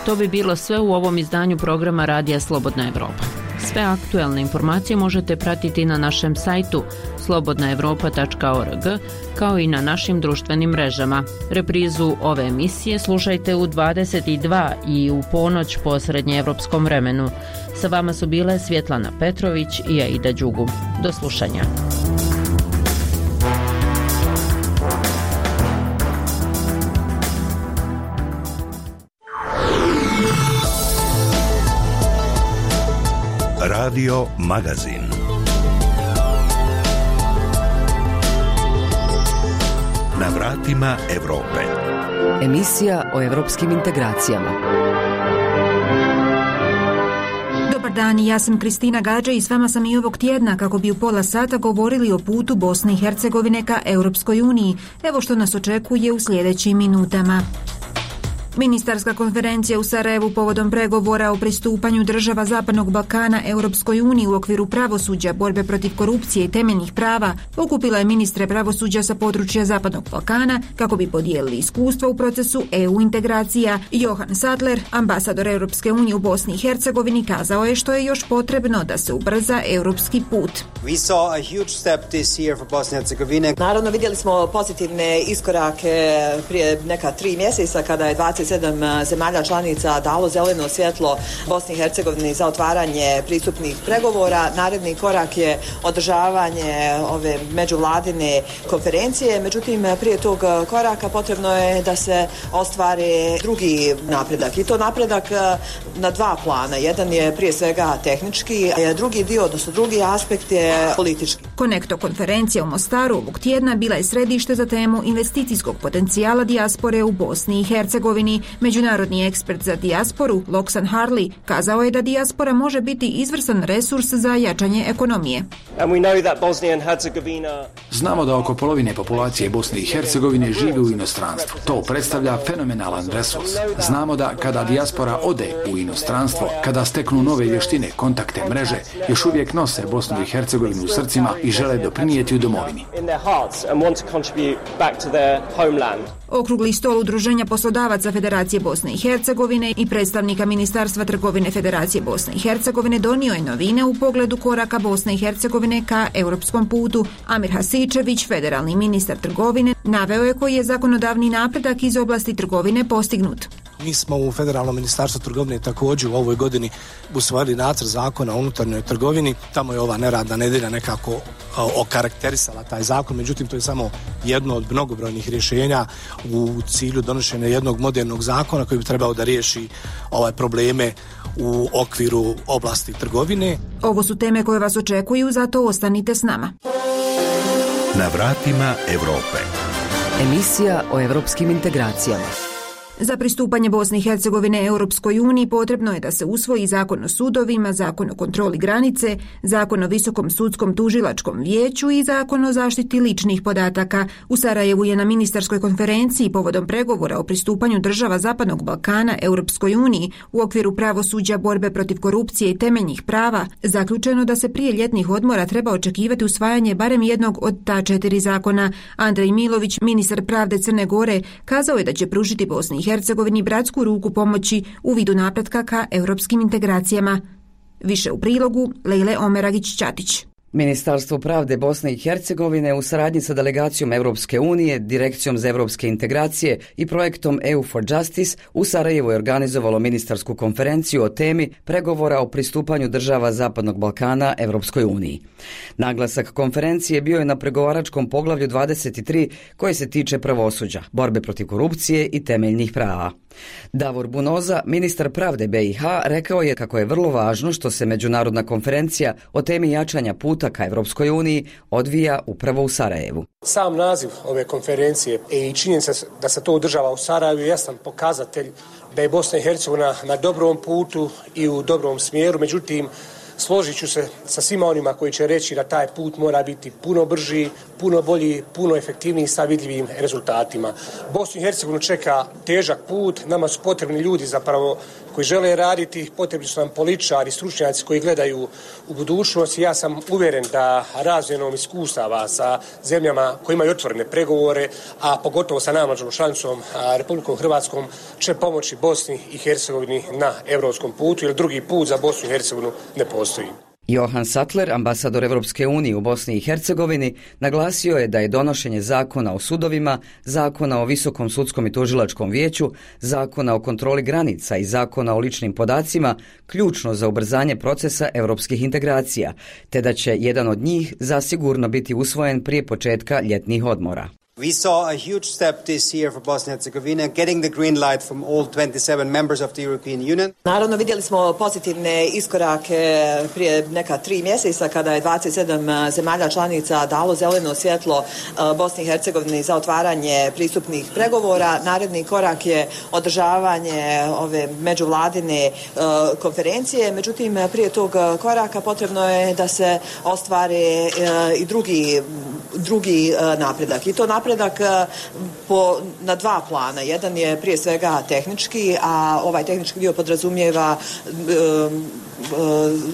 To bi bilo sve u ovom izdanju programa Radija Slobodna Evropa. Sve aktuelne informacije možete pratiti na našem sajtu slobodna evropa tačka org, kao i na našim društvenim mrežama. Reprizu ove emisije slušajte u dvadeset dva i u ponoć po srednjeevropskom vremenu. Sa vama su bile Svjetlana Petrović i Aida Đugu. Do slušanja. Radio Magazin. Na vratima Evrope. Emisija o evropskim integracijama. Dobar dan, ja sam Kristina Gađa i s vama sam i ovog tjedna kako bi u pola sata govorili o putu Bosne i Hercegovine ka Europskoj uniji. Evo što nas očekuje u sljedećim minutama. Ministarska konferencija u Sarajevu povodom pregovora o pristupanju država Zapadnog Balkana Europskoj uniji u okviru pravosuđa, borbe protiv korupcije i temeljnih prava okupila je ministre pravosuđa sa područja Zapadnog Balkana kako bi podijelili iskustva u procesu E U integracija. Johan Sadler, ambasador Europske unije u Bosni i Hercegovini, kazao je što je još potrebno da se ubrza europski put. We saw a huge step this year for Bosnia and Herzegovina. Naravno, vidjeli smo pozitivne iskorake prije neka tri mjeseca kada je dvadeset sedam zemalja članica dalo zeleno svjetlo Bosni i Hercegovini za otvaranje pristupnih pregovora. Naredni korak je održavanje ove međuvladine konferencije. Međutim, prije tog koraka potrebno je da se ostvari drugi napredak. I to napredak na dva plana. Jedan je prije svega tehnički, a drugi dio, odnosno drugi aspekt je politički. Konekto konferencija u Mostaru ovog tjedna bila je središte za temu investicijskog potencijala dijaspore u Bosni i Hercegovini. Međunarodni ekspert za dijasporu, Loksan Harley, kazao je da dijaspora može biti izvrstan resurs za jačanje ekonomije. Znamo da oko polovine populacije Bosne i Hercegovine živi u inostranstvu. To predstavlja fenomenalan resurs. Znamo da kada dijaspora ode u inostranstvo, kada steknu nove vještine, kontakte, mreže, još uvijek nose Bosnu i Hercegovinu u srcima i žele doprinijeti u domovini. Okrugli stol Udruženja poslodavaca Federacije Bosne i Hercegovine i predstavnika Ministarstva trgovine Federacije Bosne i Hercegovine donio je novine u pogledu koraka Bosne i Hercegovine ka europskom putu. Amir Hasičević, federalni ministar trgovine, naveo je koji je zakonodavni napredak iz oblasti trgovine postignut. Mi smo u Federalnom ministarstvu trgovine također u ovoj godini usvojili nacrt zakona o unutarnjoj trgovini. Tamo je ova neradna nedjelja nekako okarakterisala taj zakon, međutim to je samo jedno od mnogobrojnih rješenja u cilju donošenja jednog modernog zakona koji bi trebao da riješi ovaj probleme u okviru oblasti trgovine. Ovo su teme koje vas očekuju, zato ostanite s nama. Na vratima Evrope. Emisija o evropskim integracijama. Za pristupanje Bosne i Hercegovine Europskoj uniji potrebno je da se usvoji zakon o sudovima, zakon o kontroli granice, zakon o visokom sudskom tužilačkom vijeću i zakon o zaštiti ličnih podataka. U Sarajevu je na ministarskoj konferenciji povodom pregovora o pristupanju država Zapadnog Balkana Europskoj uniji u okviru pravosuđa, borbe protiv korupcije i temeljnih prava zaključeno da se prije ljetnih odmora treba očekivati usvajanje barem jednog od ta četiri zakona. Andrej Milović, ministar pravde Crne Gore, kazao je da će pružiti Bosni i Hercegovini bratsku ruku pomoći u vidu napretka ka europskim integracijama. Više u prilogu Lejle Omeragić-Ćatić. Ministarstvo pravde Bosne i Hercegovine u saradnji sa delegacijom Europske unije, Direkcijom za evropske integracije i projektom E U for Justice u Sarajevu je organizovalo ministarsku konferenciju o temi pregovora o pristupanju država Zapadnog Balkana Europskoj uniji. Naglasak konferencije bio je na pregovaračkom poglavlju dvadeset tri koje se tiče pravosuđa, borbe protiv korupcije i temeljnih prava. Davor Bunoza, ministar pravde B i H, rekao je kako je vrlo važno što se međunarodna konferencija o temi jačanja puta puta ka Evropskoj uniji odvija upravo u Sarajevu. Sam naziv ove konferencije i činjenica da se to održava u Sarajevu je jasan pokazatelj da je Bosna i Hercegovina na dobrom putu i u dobrom smjeru, međutim složit ću se sa svima onima koji će reći da taj put mora biti puno brži, puno bolji, puno efektivniji sa vidljivim rezultatima. Bosnu i Hercegovinu čeka težak put, nama su potrebni ljudi zapravo koji žele raditi, potrebni su nam političari, stručnjaci koji gledaju u budućnost. Ja sam uvjeren da razmjenom iskustava sa zemljama koji imaju otvorene pregovore, a pogotovo sa najmlađom članicom Republikom Hrvatskom, će pomoći Bosni i Hercegovini na europskom putu, jer drugi put za Bosnu i Hercegovinu ne postoji. Johan Sattler, ambasador Evropske unije u Bosni i Hercegovini, naglasio je da je donošenje zakona o sudovima, zakona o Visokom sudskom i tužilačkom vijeću, zakona o kontroli granica i zakona o ličnim podacima ključno za ubrzanje procesa europskih integracija, te da će jedan od njih zasigurno biti usvojen prije početka ljetnih odmora. We saw a huge step this year for Bosnia and Herzegovina, getting the green light from all twenty-seven members of the European Union. Naravno, vidjeli smo pozitivne iskorake prije neka tri mjeseca kada je dvadeset sedam zemalja članica dalo zeleno svjetlo Bosni i Hercegovini za otvaranje pristupnih pregovora. Naredni korak je održavanje ove međuvladine konferencije. Međutim, prije tog koraka potrebno je da se ostvare i drugi, drugi napredak. I to napredak Napredak po, na dva plana. Jedan je prije svega tehnički, a ovaj tehnički dio podrazumijeva um,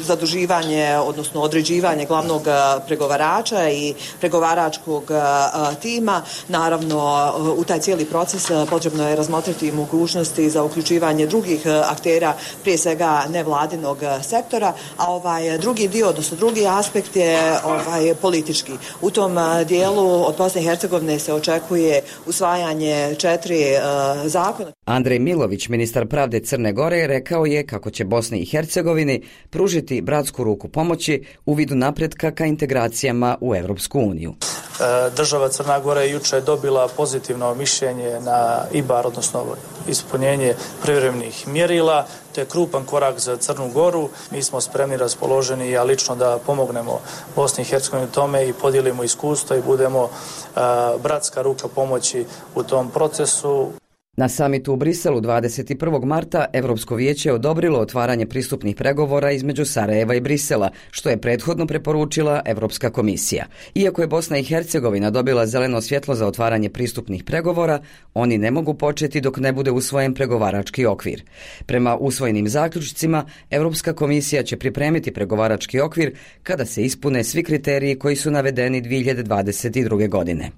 zaduživanje, odnosno određivanje glavnog pregovarača i pregovaračkog tima. Naravno, u taj cijeli proces potrebno je razmotriti mogućnosti za uključivanje drugih aktera, prije svega nevladinog sektora, a ovaj drugi dio, odnosno drugi aspekt je ovaj politički. U tom dijelu od Bosne i Hercegovine se očekuje usvajanje četiri uh, zakona. Andrej Milović, ministar pravde Crne Gore, rekao je kako će Bosni i Hercegovini pružiti bratsku ruku pomoći u vidu napretka ka integracijama u Evropsku uniju. Država Crna Gora je juče dobila pozitivno mišljenje na I B A R, odnosno ispunjenje privremenih mjerila. To je krupan korak za Crnu Goru. Mi smo spremni, raspoloženi, ja lično da pomognemo Bosni i Hercegovini u tome i podijelimo iskustvo i budemo uh, bratska ruka pomoći u tom procesu. Na samitu u Briselu dvadeset prvog marta Evropsko vijeće je odobrilo otvaranje pristupnih pregovora između Sarajeva i Brisela, što je prethodno preporučila Evropska komisija. Iako je Bosna i Hercegovina dobila zeleno svjetlo za otvaranje pristupnih pregovora, oni ne mogu početi dok ne bude usvojen pregovarački okvir. Prema usvojenim zaključcima, Evropska komisija će pripremiti pregovarački okvir kada se ispune svi kriteriji koji su navedeni dvije hiljade dvadeset druge. godine.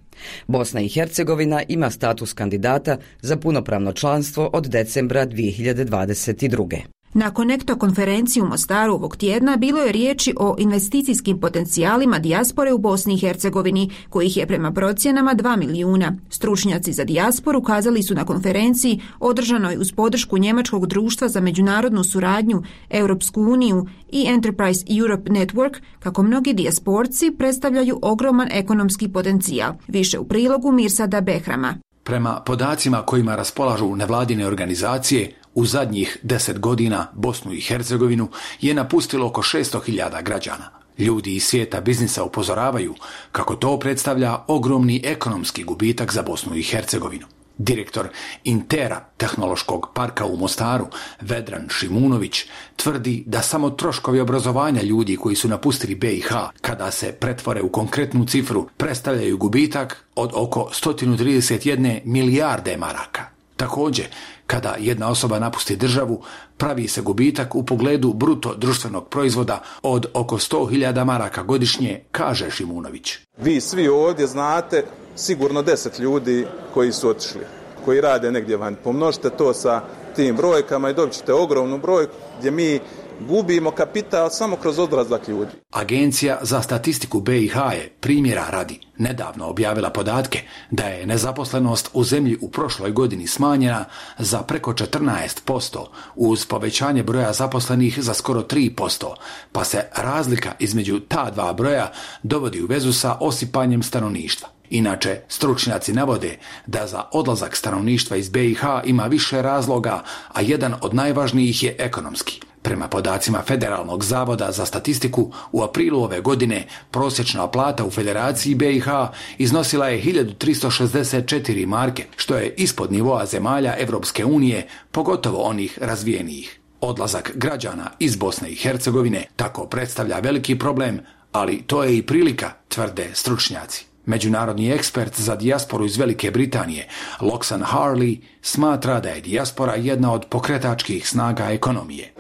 Bosna i Hercegovina ima status kandidata za punopravno članstvo od decembra dvije hiljade dvadeset druge. Na Konekto konferenciji u Mostaru ovog tjedna bilo je riječi o investicijskim potencijalima dijaspore u Bosni i Hercegovini, kojih je prema procjenama dva milijuna. Stručnjaci za dijasporu kazali su na konferenciji održanoj uz podršku Njemačkog društva za međunarodnu suradnju, Europsku uniju i Enterprise Europe Network, kako mnogi dijasporci predstavljaju ogroman ekonomski potencijal. Više u prilogu Mirsada Behrama. Prema podacima kojima raspolažu nevladine organizacije, u zadnjih deset godina Bosnu i Hercegovinu je napustilo oko šesto hiljada građana. Ljudi iz svijeta biznisa upozoravaju kako to predstavlja ogromni ekonomski gubitak za Bosnu i Hercegovinu. Direktor Intera tehnološkog parka u Mostaru, Vedran Šimunović, tvrdi da samo troškovi obrazovanja ljudi koji su napustili B i H, kada se pretvore u konkretnu cifru, predstavljaju gubitak od oko sto trideset jedne milijarde maraka. Također, kada jedna osoba napusti državu, pravi se gubitak u pogledu bruto društvenog proizvoda od oko sto hiljada maraka godišnje, kaže Šimunović. Vi svi ovdje znate sigurno deset ljudi koji su otišli, koji rade negdje van. Pomnožite to sa tim brojkama i dobit ćete ogromnu brojku gdje mi gubimo kapital samo kroz odlazak ljudi. Agencija za statistiku B i H je, primjera radi, nedavno objavila podatke da je nezaposlenost u zemlji u prošloj godini smanjena za preko četrnaest posto uz povećanje broja zaposlenih za skoro tri posto, pa se razlika između ta dva broja dovodi u vezu sa osipanjem stanovništva. Inače, stručnjaci navode da za odlazak stanovništva iz B i H ima više razloga, a jedan od najvažnijih je ekonomski. Prema podacima Federalnog zavoda za statistiku, u aprilu ove godine prosječna plata u Federaciji B i H iznosila je hiljadu tristo šezdeset četiri marke, što je ispod nivoa zemalja Evropske unije, pogotovo onih razvijenijih. Odlazak građana iz Bosne i Hercegovine tako predstavlja veliki problem, ali to je i prilika, tvrde stručnjaci. Međunarodni ekspert za dijasporu iz Velike Britanije, Loxan Harley, smatra da je dijaspora jedna od pokretačkih snaga ekonomije.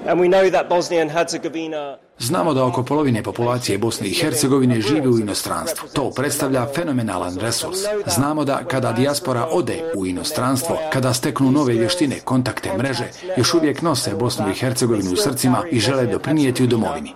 Znamo da oko polovine populacije Bosne i Hercegovine živi u inostranstvu. To predstavlja fenomenalan resurs. Znamo da kada dijaspora ode u inostranstvo, kada steknu nove vještine, kontakte, mreže, još uvijek nose Bosnu i Hercegovinu u srcima i žele doprinijeti u domovini.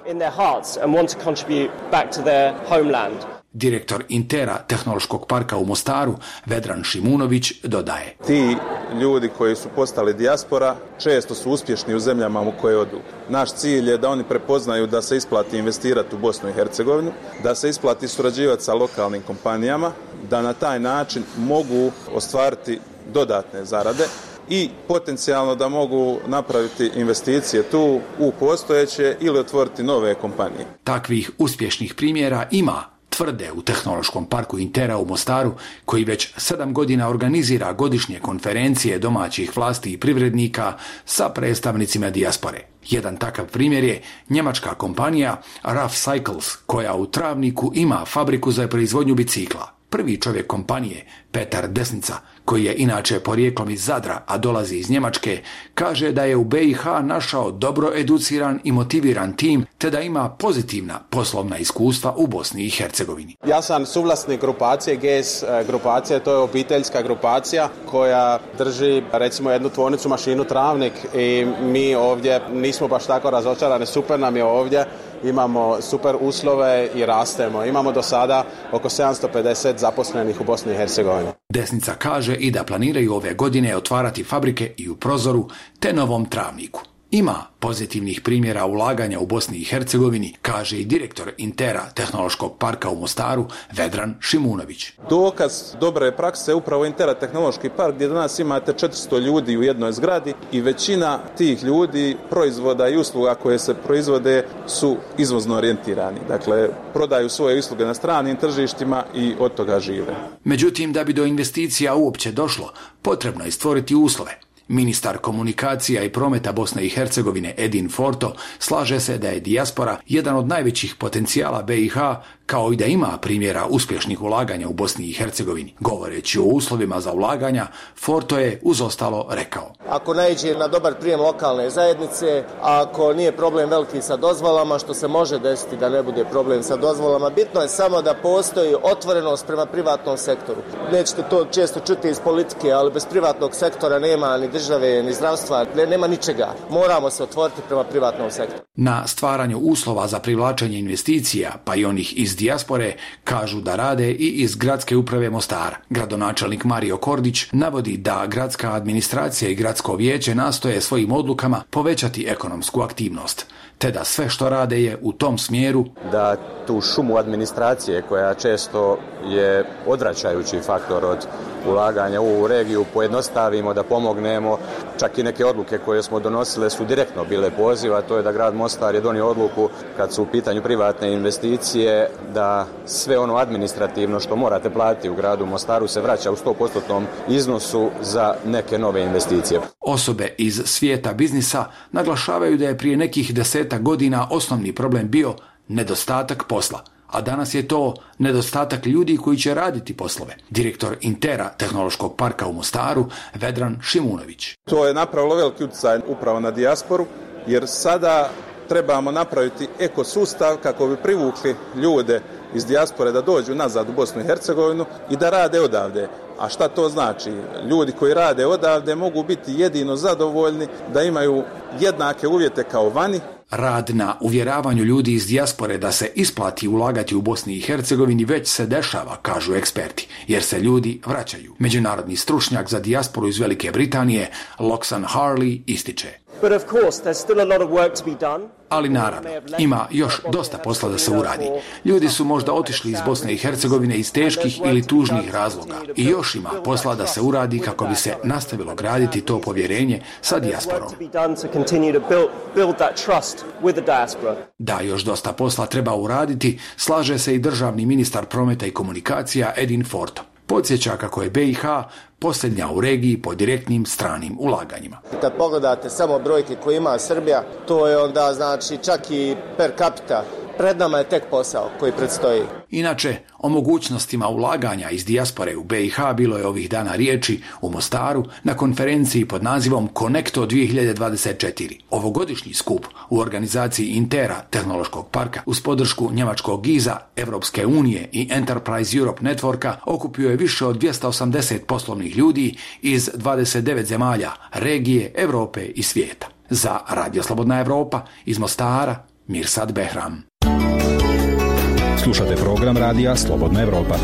Direktor Intera tehnološkog parka u Mostaru, Vedran Šimunović, dodaje. Ti ljudi koji su postali dijaspora često su uspješni u zemljama u koje odu. Naš cilj je da oni prepoznaju da se isplati investirati u Bosnu i Hercegovinu, da se isplati surađivati sa lokalnim kompanijama, da na taj način mogu ostvariti dodatne zarade i potencijalno da mogu napraviti investicije tu u postojeće ili otvoriti nove kompanije. Takvih uspješnih primjera ima, tvrde u Tehnološkom parku Intera u Mostaru, koji već sedam godina organizira godišnje konferencije domaćih vlasti i privrednika sa predstavnicima dijaspore. Jedan takav primjer je njemačka kompanija Rough Cycles, koja u Travniku ima fabriku za proizvodnju bicikla. Prvi čovjek kompanije, Petar Desnica, koji je inače porijeklom iz Zadra, a dolazi iz Njemačke, kaže da je u B i H našao dobro educiran i motiviran tim, te da ima pozitivna poslovna iskustva u Bosni i Hercegovini. Ja sam suvlasnik grupacije, G S grupacija, to je obiteljska grupacija koja drži recimo jednu tvornicu mašinu Travnik i mi ovdje nismo baš tako razočarani, super nam je ovdje. Imamo super uslove i rastemo. Imamo do sada oko sedamsto pedeset zaposlenih u Bosni i Hercegovini. Desnica kaže i da planiraju ove godine otvarati fabrike i u Prozoru te Novom Travniku. Ima pozitivnih primjera ulaganja u Bosni i Hercegovini, kaže i direktor Intera tehnološkog parka u Mostaru, Vedran Šimunović. Dokaz dobre prakse je upravo Intera tehnološki park, gdje danas imate četiristo ljudi u jednoj zgradi i većina tih ljudi, proizvoda i usluga koje se proizvode su izvozno orijentirani. Dakle, prodaju svoje usluge na stranim tržištima i od toga žive. Međutim, da bi do investicija uopće došlo, potrebno je stvoriti uslove. Ministar komunikacija i prometa Bosne i Hercegovine Edin Forto slaže se da je dijaspora jedan od najvećih potencijala B i H, kao i da ima primjera uspješnih ulaganja u Bosni i Hercegovini. Govoreći o uslovima za ulaganja, Forto je uz ostalo rekao. Ako naiđe na dobar prijem lokalne zajednice, ako nije problem veliki sa dozvolama, što se može desiti da ne bude problem sa dozvolama, bitno je samo da postoji otvorenost prema privatnom sektoru. Nećete to često čuti iz politike, ali bez privatnog sektora nema ni države, ni zdravstva, nema ničega. Moramo se otvoriti prema privatnom sektoru. Na stvaranju uslova za privlačenje investicija, pa i onih iz dijaspore, kažu da rade i iz gradske uprave Mostara. Gradonačelnik Mario Kordić navodi da gradska administracija i gradsko vijeće nastoje svojim odlukama povećati ekonomsku aktivnost, te da sve što rade je u tom smjeru da tu šumu administracije koja često je odvraćajući faktor od ulaganja u ovu regiju pojednostavimo, da pomognemo. Čak i neke odluke koje smo donosile su direktno bile poziva, to je da grad Mostar je donio odluku kad su u pitanju privatne investicije da sve ono administrativno što morate platiti u gradu Mostaru se vraća u sto posto iznosu za neke nove investicije. Osobe iz svijeta biznisa naglašavaju da je prije nekih desetak godina osnovni problem bio nedostatak posla, a danas je to nedostatak ljudi koji će raditi poslove. Direktor Intera tehnološkog parka u Mostaru, Vedran Šimunović. To je napravilo veliki utjecaj upravo na dijasporu, jer sada trebamo napraviti ekosustav kako bi privukli ljude iz dijaspore da dođu nazad u Bosnu i Hercegovinu i da rade odavde. A šta to znači? Ljudi koji rade odavde mogu biti jedino zadovoljni da imaju jednake uvjete kao vani. Rad na uvjeravanju ljudi iz dijaspore da se isplati ulagati u Bosni i Hercegovini već se dešava, kažu eksperti, jer se ljudi vraćaju. Međunarodni stručnjak za dijasporu iz Velike Britanije, Loxan Harley, ističe. Ali naravno, ima još dosta posla da se uradi. Ljudi su možda otišli iz Bosne i Hercegovine iz teških ili tužnih razloga. I još ima posla da se uradi kako bi se nastavilo graditi to povjerenje sa dijasporom. Da, još dosta posla treba uraditi, slaže se i državni ministar prometa i komunikacija Edin Forto. Podsjeća kako je B i H posljednja u regiji po direktnim stranim ulaganjima. Kad pogledate samo brojke koje ima Srbija, to je onda znači čak i per capita. Pred nama je tek posao koji predstoji. Inače, o mogućnostima ulaganja iz dijaspore u B i H bilo je ovih dana riječi u Mostaru na konferenciji pod nazivom Connecto dvije hiljade dvadeset četiri. Ovogodišnji skup u organizaciji Intera tehnološkog parka uz podršku njemačkog Giza, Evropske unije i Enterprise Europe Networka okupio je više od dvjesto osamdeset poslovnih ljudi iz dvadeset devet zemalja, regije, Europe i svijeta. Za Radio Slobodna Evropa iz Mostara, Mirsad Behram. Slušate program radija Slobodna Evropa.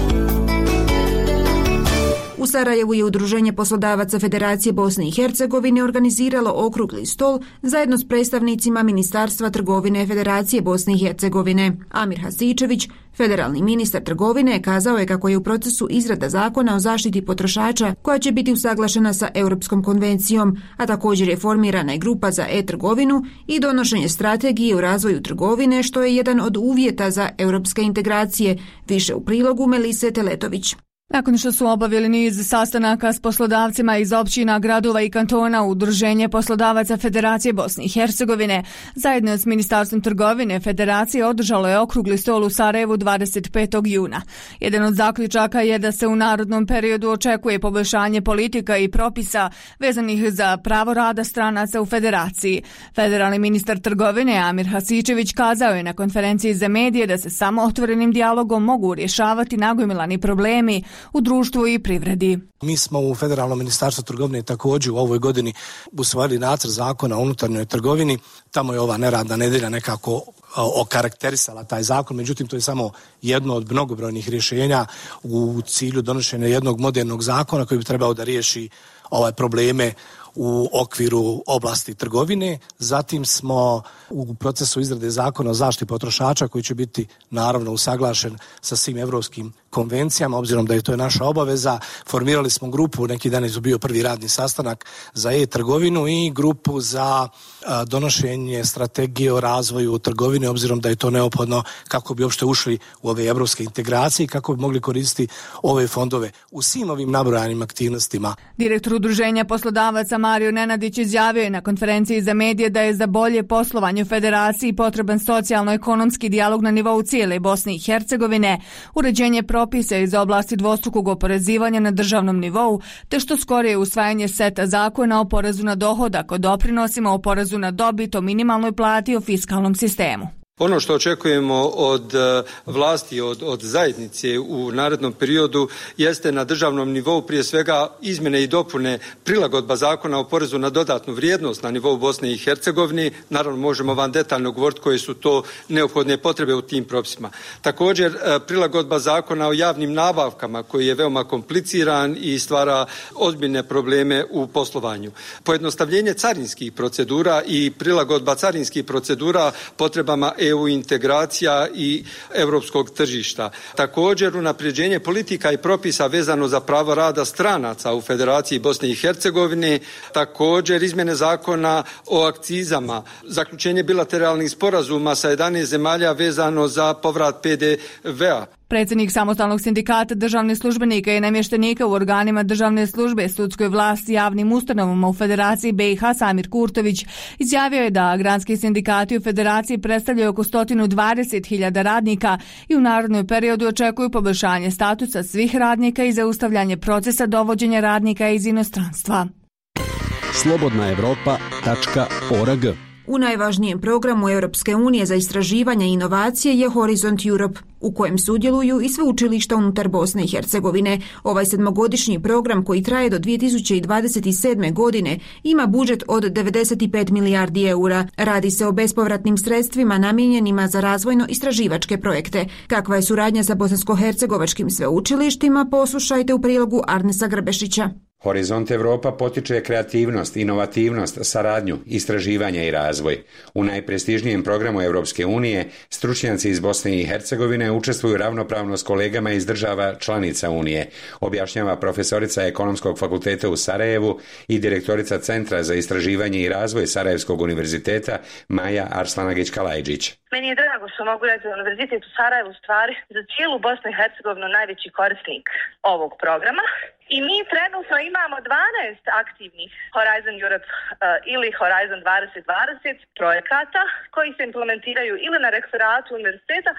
U Sarajevu je Udruženje poslodavaca Federacije Bosne i Hercegovine organiziralo okrugli stol zajedno s predstavnicima Ministarstva trgovine Federacije Bosne i Hercegovine. Amir Hasičević, federalni ministar trgovine, kazao je kako je u procesu izrada zakona o zaštiti potrošača koja će biti usaglašena sa Europskom konvencijom, a također je formirana i grupa za e-trgovinu i donošenje strategije u razvoju trgovine, što je jedan od uvjeta za europske integracije. Više u prilogu Melise Teletović. Nakon što su obavili niz sastanaka s poslodavcima iz općina, gradova i kantona, Udruženje poslodavaca Federacije Bosne i Hercegovine zajedno s Ministarstvom trgovine Federacije održalo je okrugli stol u Sarajevu dvadeset petog juna. Jedan od zaključaka je da se u narodnom periodu očekuje poboljšanje politika i propisa vezanih za pravo rada stranaca u Federaciji. Federalni ministar trgovine Amir Hasičević kazao je na konferenciji za medije da se samo otvorenim dijalogom mogu rješavati nagomilani problemi u društvu i privredi. Mi smo u Federalnom ministarstvu trgovine također u ovoj godini usvojili nacrt zakona o unutarnjoj trgovini. Tamo je ova neradna nedjelja nekako okarakterisala taj zakon, međutim to je samo jedno od mnogobrojnih rješenja u cilju donošenja jednog modernog zakona koji bi trebao da riješi ove probleme u okviru oblasti trgovine. Zatim smo u procesu izrade zakona o zaštiti potrošača koji će biti naravno usaglašen sa svim evropskim konvencijama, obzirom da je to naša obaveza. Formirali smo grupu, neki dan je bio prvi radni sastanak za e-trgovinu i grupu za a, donošenje strategije o razvoju trgovine, obzirom da je to neophodno kako bi uopšte ušli u ove evropske integracije i kako bi mogli koristiti ove fondove u svim ovim nabrojanim aktivnostima. Direktor Udruženja poslodavaca Mario Nenadić izjavio je na konferenciji za medije da je za bolje poslovanje u Federaciji potreban socijalno-ekonomski dijalog na nivou cijele Bosne i Hercegovine, uređenje propisa iz oblasti dvostrukog oporezivanja na državnom nivou, te što skorije usvajanje seta zakona o porezu na dohodak, o doprinosima, o porezu na dobit, o minimalnoj plati, o fiskalnom sistemu. Ono što očekujemo od vlasti, od, od zajednice u narednom periodu jeste na državnom nivou prije svega izmjene i dopune prilagodba zakona o porezu na dodatnu vrijednost na nivou Bosne i Hercegovine. Naravno možemo vam detaljno govoriti koje su to neophodne potrebe u tim propisima. Također prilagodba zakona o javnim nabavkama koji je veoma kompliciran i stvara ozbiljne probleme u poslovanju. Pojednostavljenje carinskih procedura i prilagodba carinskih procedura potrebama E U integracija i europskog tržišta. Također unapređenje politika i propisa vezano za pravo rada stranaca u Federaciji Bosne i Hercegovine, također izmjene zakona o akcizama, zaključenje bilateralnih sporazuma sa jedanaest zemalja vezano za povrat P D V-a. Predsjednik Samostalnog sindikata državnih službenika i namještenika u organima državne službe, sudskoj vlasti, javnim ustanovama u Federaciji B i H Samir Kurtović izjavio je da granski sindikati u Federaciji predstavljaju oko sto dvadeset hiljada radnika i u narednom periodu očekuju poboljšanje statusa svih radnika i zaustavljanje procesa dovođenja radnika iz inostranstva. slobodna evropa tačka org. U najvažnijem programu Europske unije za istraživanje i inovacije je Horizont Europe, u kojem sudjeluju i sveučilišta unutar Bosne i Hercegovine. Ovaj sedmogodišnji program koji traje do dvije tisuće dvadeset sedme. godine ima budžet od devedeset pet milijardi eura. Radi se o bespovratnim sredstvima namijenjenima za razvojno-istraživačke projekte. Kakva je suradnja sa bosansko-hercegovačkim sveučilištima, poslušajte u prilogu Arnesa Grbešića. Horizont Europa potiče kreativnost, inovativnost, saradnju, istraživanje i razvoj. U najprestižnijem programu Europske unije stručnjaci iz Bosne i Hercegovine učestvuju ravnopravno s kolegama iz država članica Unije, objašnjava profesorica Ekonomskog fakulteta u Sarajevu i direktorica Centra za istraživanje i razvoj Sarajevskog univerziteta Maja Arslanagić-Kalajđić. Meni je drago što mogu reći da Univerzitet u Sarajevu stvari za cijelu Bosnu i Hercegovinu najveći korisnik ovog programa. I mi trenutno imamo dvanaest aktivnih Horizon Europe uh, ili Horizon dvadeset dvadeset projekata koji se implementiraju ili na rektoratu univerziteta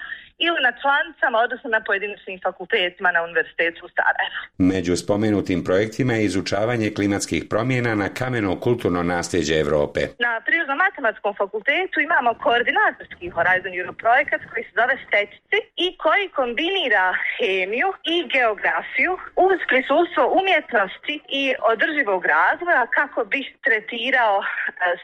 ili na članicama, odnosno na pojedinačnim fakultetima na univerzitetu u Sarajevu. Među spomenutim projektima je izučavanje klimatskih promjena na kameno kulturno nasljeđe Europe. Na Prirodno-matematičkom fakultetu imamo koordinatorski Horizon Europe projekat koji se zove Stečci i koji kombinira hemiju i geografiju uz prisustvo umjetnosti i održivog razvoja kako bi tretirao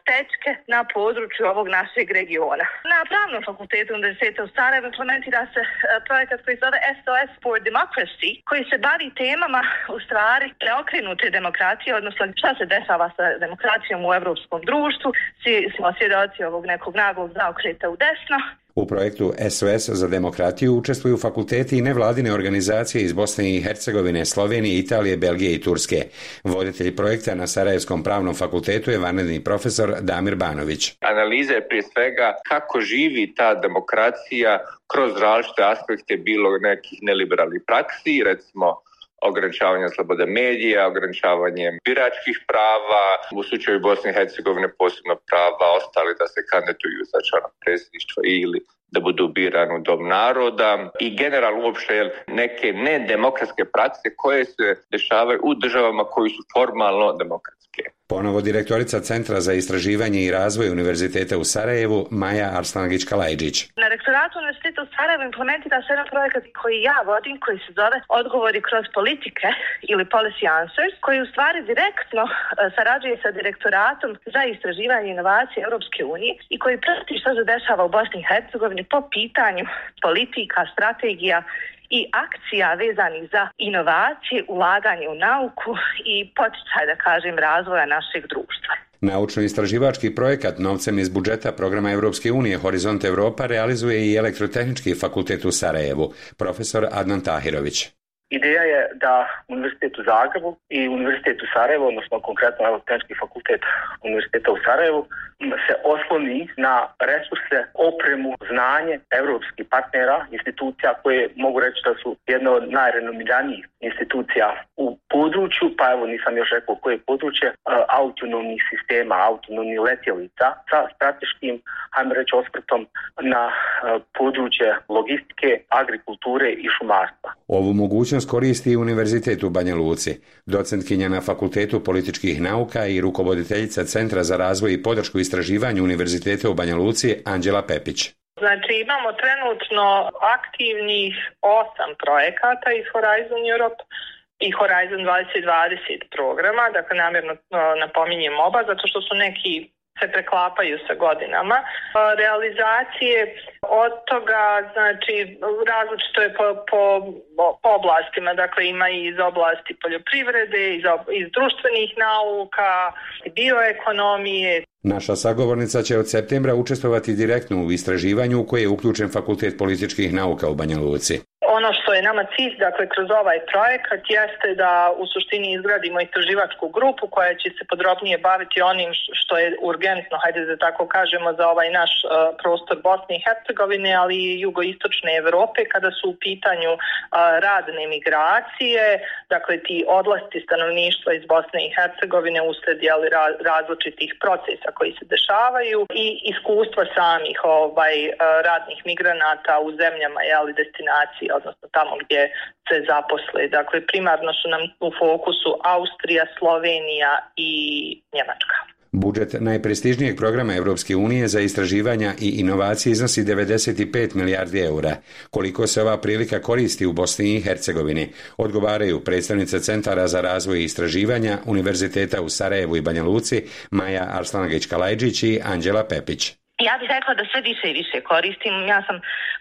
stečke na području ovog našeg regiona. Na Pravnom fakultetu Univerziteta u Sarajevu implementira se projekat koji se zove S O S for Democracy, koji se bavi temama u stvari preokrenute demokracije, odnosno šta se dešava sa demokracijom u evropskom društvu. Svi smo svjedoci ovog nekog naglog zaokreta u desno. U projektu S O S za demokratiju učestvuju fakulteti i nevladine organizacije iz Bosne i Hercegovine, Slovenije, Italije, Belgije i Turske. Voditelj projekta na Sarajevskom pravnom fakultetu je vanredni profesor Damir Banović. Analiza je prije svega kako živi ta demokracija kroz različite aspekte bilo nekih neliberalnih praksi, recimo ograničavanje slobode medija, ograničavanje biračkih prava, u slučaju Bosne i Hercegovine posebno prava ostali da se kandidatuju za člana predsjedništva ili da budu birani u Dom naroda i generalno uopšte neke nedemokratske prakse koje se dešavaju u državama koji su formalno demokratske. Ponovo direktorica Centra za istraživanje i razvoj Univerziteta u Sarajevu Maja Arslanagić-Kalajđić. Na rektoratu Univerziteta u Sarajevu implementira se jedan projekat koji ja vodim, koji se zove Odgovori kroz politike ili Policy Answers, koji u stvari direktno sarađuje sa direktoratom za istraživanje i inovacije Europske unije i koji prati što se dešava u Bosni i Hercegovini po pitanju politika, strategija i akcija vezanih za inovacije, ulaganje u nauku i poticaj, da kažem, razvoja našeg društva. Naučno-istraživački projekat novcem iz budžeta programa Europske unije Horizont Europa realizuje i Elektrotehnički fakultet u Sarajevu, profesor Adnan Tahirović. Ideja je da Univerzitet u Zagrebu i Univerzitet u Sarajevu, odnosno konkretno Elektrotehnički fakultet Univerziteta u Sarajevu, se osloni na resurse, opremu, znanje evropskih partnera, institucija koje mogu reći da su jedne od najrenomiranijih institucija u području, pa evo nisam još rekao koje područje, autonomnih sistema, autonomnih letjelica sa strateškim, hajmo reći, osvrtom na područje logistike, agrikulture i šumarstva. Ovu mogućnost koristi i Univerzitet u Banja Luci. Docentkinja na Fakultetu političkih nauka i rukovoditeljica Centra za razvoj i podršku istraživanju Univerziteta u Banja Luci Anđela Pepić. Znači imamo trenutno aktivnih osam projekata iz Horizon Europe i Horizon dvadeset dvadeset programa, dakle namjerno napominjem oba, zato što su neki se preklapaju sa godinama. Realizacije od toga, znači, različito je po, po, po oblastima, dakle ima i iz oblasti poljoprivrede, iz, iz društvenih nauka, bioekonomije. Naša sagovornica će od septembra učestvovati direktno u istraživanju u koje je uključen Fakultet političkih nauka u Banja Luci. Ono što je nama cilj, dakle, kroz ovaj projekat jeste da u suštini izgradimo istraživačku grupu koja će se podrobnije baviti onim što je urgentno, hajde da tako kažemo, za ovaj naš uh, prostor Bosne i Hercegovine, ali i jugoistočne Evrope, kada su u pitanju uh, radne migracije, dakle ti odlasci stanovništva iz Bosne i Hercegovine usled jeli, ra- različitih procesa koji se dešavaju i iskustva samih ovaj, uh, radnih migranata u zemljama, jeli, destinacije, odnosno tamo gdje se zaposle. Dakle, primarno su nam u fokusu Austrija, Slovenija i Njemačka. Budžet najprestižnijeg programa Europske unije za istraživanja i inovacije iznosi devedeset pet milijardi eura. Koliko se ova prilika koristi u Bosni i Hercegovini, odgovaraju predstavnice Centara za razvoj i istraživanja Univerziteta u Sarajevu i Banja Luci Maja Arslanagić-Kalajđić i Anđela Pepić. Ja bih rekla da sve više i više koristim. Ja sam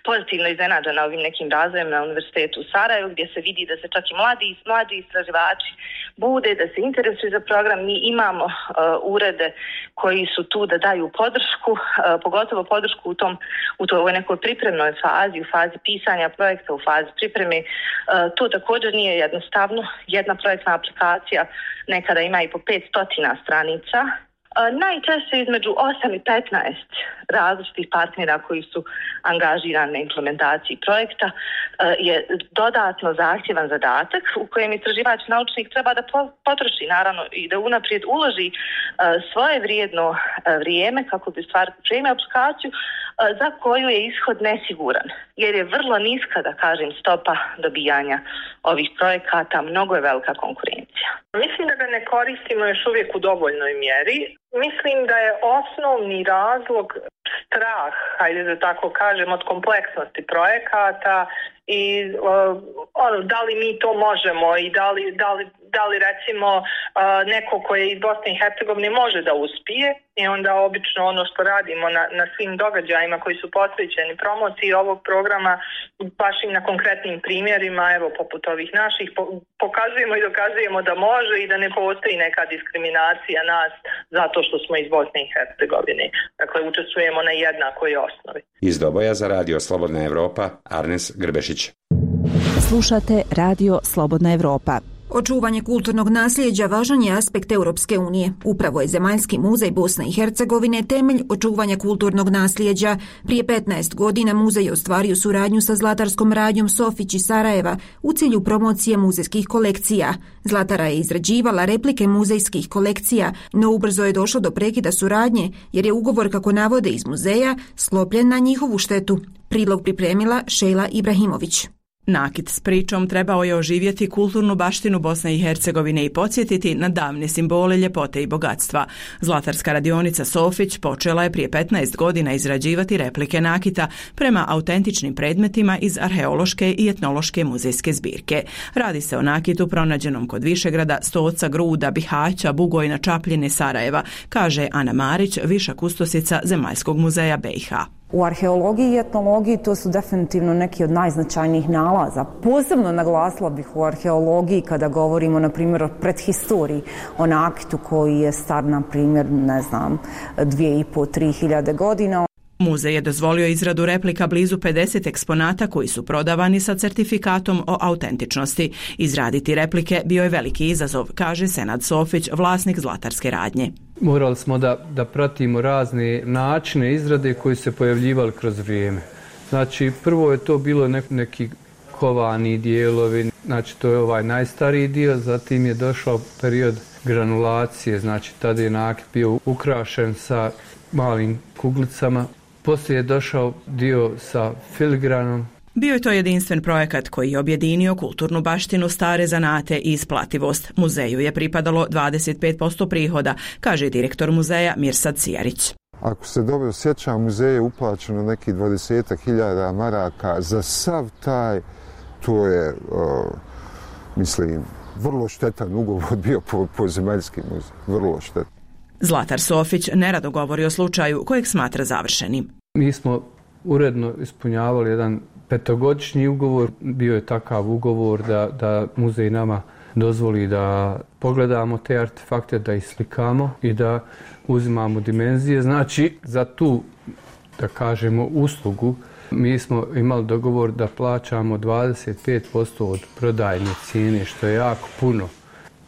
pozitivno iznenađena ovim nekim razvojem na Univerzitetu u Sarajevu, gdje se vidi da se čak i mladi, mladi istraživači bude, da se interesuju za program. Mi imamo uh, urede koji su tu da daju podršku, uh, pogotovo podršku u tom u toj nekoj pripremnoj fazi, u fazi pisanja projekta, u fazi pripreme. Uh, to također nije jednostavno. Jedna projektna aplikacija nekada ima i po petsto stranica. Najčešće između osam i petnaest različitih partnera koji su angažirani na implementaciji projekta je dodatno zahtjevan zadatak u kojem istraživač naučnik treba da potroši naravno i da unaprijed uloži svoje vrijedno vrijeme kako bi stvar pripremio aplikaciju za koju je ishod nesiguran, jer je vrlo niska, da kažem, stopa dobijanja ovih projekata, mnogo je velika konkurencija. Mislim da ga ne koristimo još uvijek u dovoljnoj mjeri. Mislim da je osnovni razlog strah, hajde da tako kažem, od kompleksnosti projekata i uh, ono, da li mi to možemo i da li, da li, da li recimo uh, neko ko je iz Bosne i Hercegovine može da uspije, i onda obično ono što radimo na, na svim događajima koji su posvećeni promociji ovog programa, baš i na konkretnim primjerima, evo poput ovih naših, po, pokazujemo i dokazujemo da može i da ne postoji neka diskriminacija nas zato što smo iz Bosne i Hercegovine. Dakle, učestvujemo na jednakoj osnovi. Iz Doboja za Radio Slobodna Evropa, Arnes Grbešić. Slušate Radio Slobodna Evropa. Očuvanje kulturnog nasljeđa važan je aspekt Europske unije. Upravo je Zemaljski muzej Bosne i Hercegovine temelj očuvanja kulturnog nasljeđa. Prije petnaest godina muzej je ostvario suradnju sa zlatarskom radnjom Sofić iz Sarajeva u cilju promocije muzejskih kolekcija. Zlatara je izrađivala replike muzejskih kolekcija, no ubrzo je došlo do prekida suradnje jer je ugovor, kako navode iz muzeja, sklopljen na njihovu štetu. Prilog pripremila Šejla Ibrahimović. Nakit s pričom trebao je oživjeti kulturnu baštinu Bosne i Hercegovine i podsjetiti na davne simbole ljepote i bogatstva. Zlatarska radionica Sofić počela je prije petnaest godina izrađivati replike nakita prema autentičnim predmetima iz arheološke i etnološke muzejske zbirke. Radi se o nakitu pronađenom kod Višegrada, Stoca, Gruda, Bihaća, Bugojna, Čapljine, Sarajeva, kaže Ana Marić, viša kustosica Zemaljskog muzeja B i H. U arheologiji i etnologiji to su definitivno neki od najznačajnijih nalaza. Posebno naglasila bih u arheologiji kada govorimo, na primjer, o prethistoriji, o nakitu koji je star, na primjer, ne znam, dvije i po, tri hiljade godina. Muzej je dozvolio izradu replika blizu pedeset eksponata koji su prodavani sa certifikatom o autentičnosti. Izraditi replike bio je veliki izazov, kaže Senad Sofić, vlasnik zlatarske radnje. Morali smo da, da pratimo razne načine izrade koji se pojavljivali kroz vrijeme. Znači, prvo je to bilo nek, neki kovani dijelovi, znači to je ovaj najstariji dio, zatim je došao period granulacije, znači tada je nakit bio ukrašen sa malim kuglicama. Poslije je došao dio sa filigranom. Bio je to jedinstven projekat koji je objedinio kulturnu baštinu, stare zanate i isplativost. Muzeju je pripadalo dvadeset pet posto prihoda, kaže direktor muzeja Mirsad Cijarić. Ako se dobro sjećam, muzeju je uplaćeno nekih dvadeset hiljada maraka za sav taj, to je, o, mislim, vrlo štetan ugovor bio po, po Zemaljski muzej, vrlo štetan. Zlatar Sofić nerado govori o slučaju kojeg smatra završenim. Mi smo uredno ispunjavali jedan petogodišnji ugovor. Bio je takav ugovor da, da muzej nama dozvoli da pogledamo te artefakte, da ih slikamo i da uzimamo dimenzije. Znači, za tu, da kažemo, uslugu mi smo imali dogovor da plaćamo dvadeset pet posto od prodajne cijene, što je jako puno.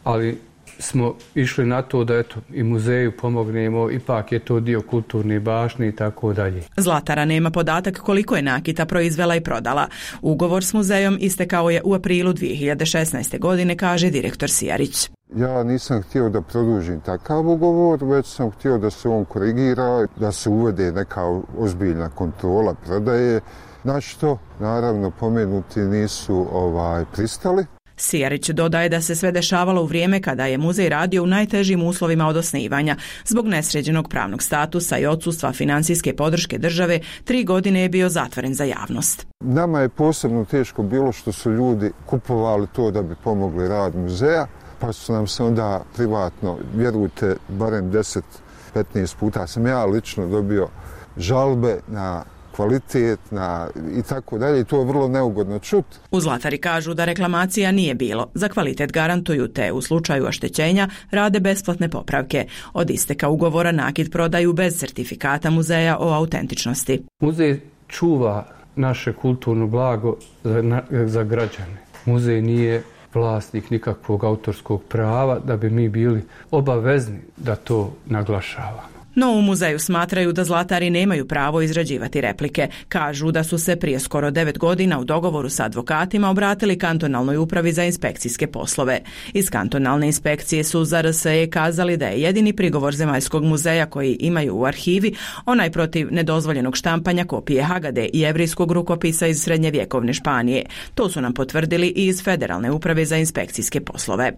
Ali smo išli na to da eto, i muzeju pomognemo, ipak je to dio kulturne baštine i tako dalje. Zlatara nema podatak koliko je nakita proizvela i prodala. Ugovor s muzejom istekao je u aprilu dvije hiljade šesnaeste. godine, kaže direktor Sijarić. Ja nisam htio da produžim takav ugovor, već sam htio da se on korigira, da se uvede neka ozbiljna kontrola prodaje, na što naravno pomenuti nisu ovaj pristali. Sijarić dodaje da se sve dešavalo u vrijeme kada je muzej radio u najtežim uslovima od osnivanja. Zbog nesređenog pravnog statusa i odsustva financijske podrške države, tri godine je bio zatvoren za javnost. Nama je posebno teško bilo što su ljudi kupovali to da bi pomogli rad muzeja, pa su nam se onda privatno, vjerujte, barem deset petnaest puta sam ja lično dobio žalbe na kvalitet na i tako dalje i to je vrlo neugodno čuti. U Zlatari kažu da reklamacija nije bilo. Za kvalitet garantuju te u slučaju oštećenja rade besplatne popravke. Od isteka ugovora nakit prodaju bez certifikata muzeja o autentičnosti. Muzej čuva naše kulturno blago za, na, za građane. Muzej nije vlasnik nikakvog autorskog prava da bi mi bili obavezni da to naglašavamo. No u muzeju smatraju da zlatari nemaju pravo izrađivati replike. Kažu da su se prije skoro devet godina u dogovoru sa advokatima obratili kantonalnoj upravi za inspekcijske poslove. Iz kantonalne inspekcije su za R S E kazali da je jedini prigovor Zemaljskog muzeja koji imaju u arhivi onaj protiv nedozvoljenog štampanja kopije Hagade i jevrijskog rukopisa iz srednjevjekovne Španije. To su nam potvrdili i iz Federalne uprave za inspekcijske poslove.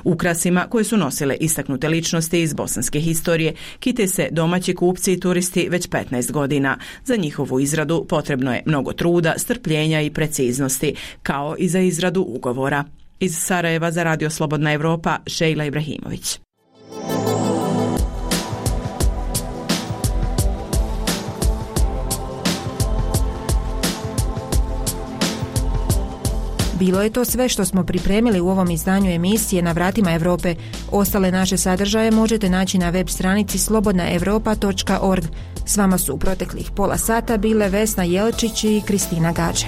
Ukrasima koje su nosile istaknute ličnosti iz bosanske historije kite se domaći kupci i turisti već petnaest godina. Za njihovu izradu potrebno je mnogo truda, strpljenja i preciznosti, kao i za izradu ugovora. Iz Sarajeva za Radio Slobodna Evropa, Šejla Ibrahimović. Bilo je to sve što smo pripremili u ovom izdanju emisije Na vratima Europe. Ostale naše sadržaje možete naći na web stranici slobodna europa točka org. S vama su u proteklih pola sata bile Vesna Jelčić i Kristina Gađe.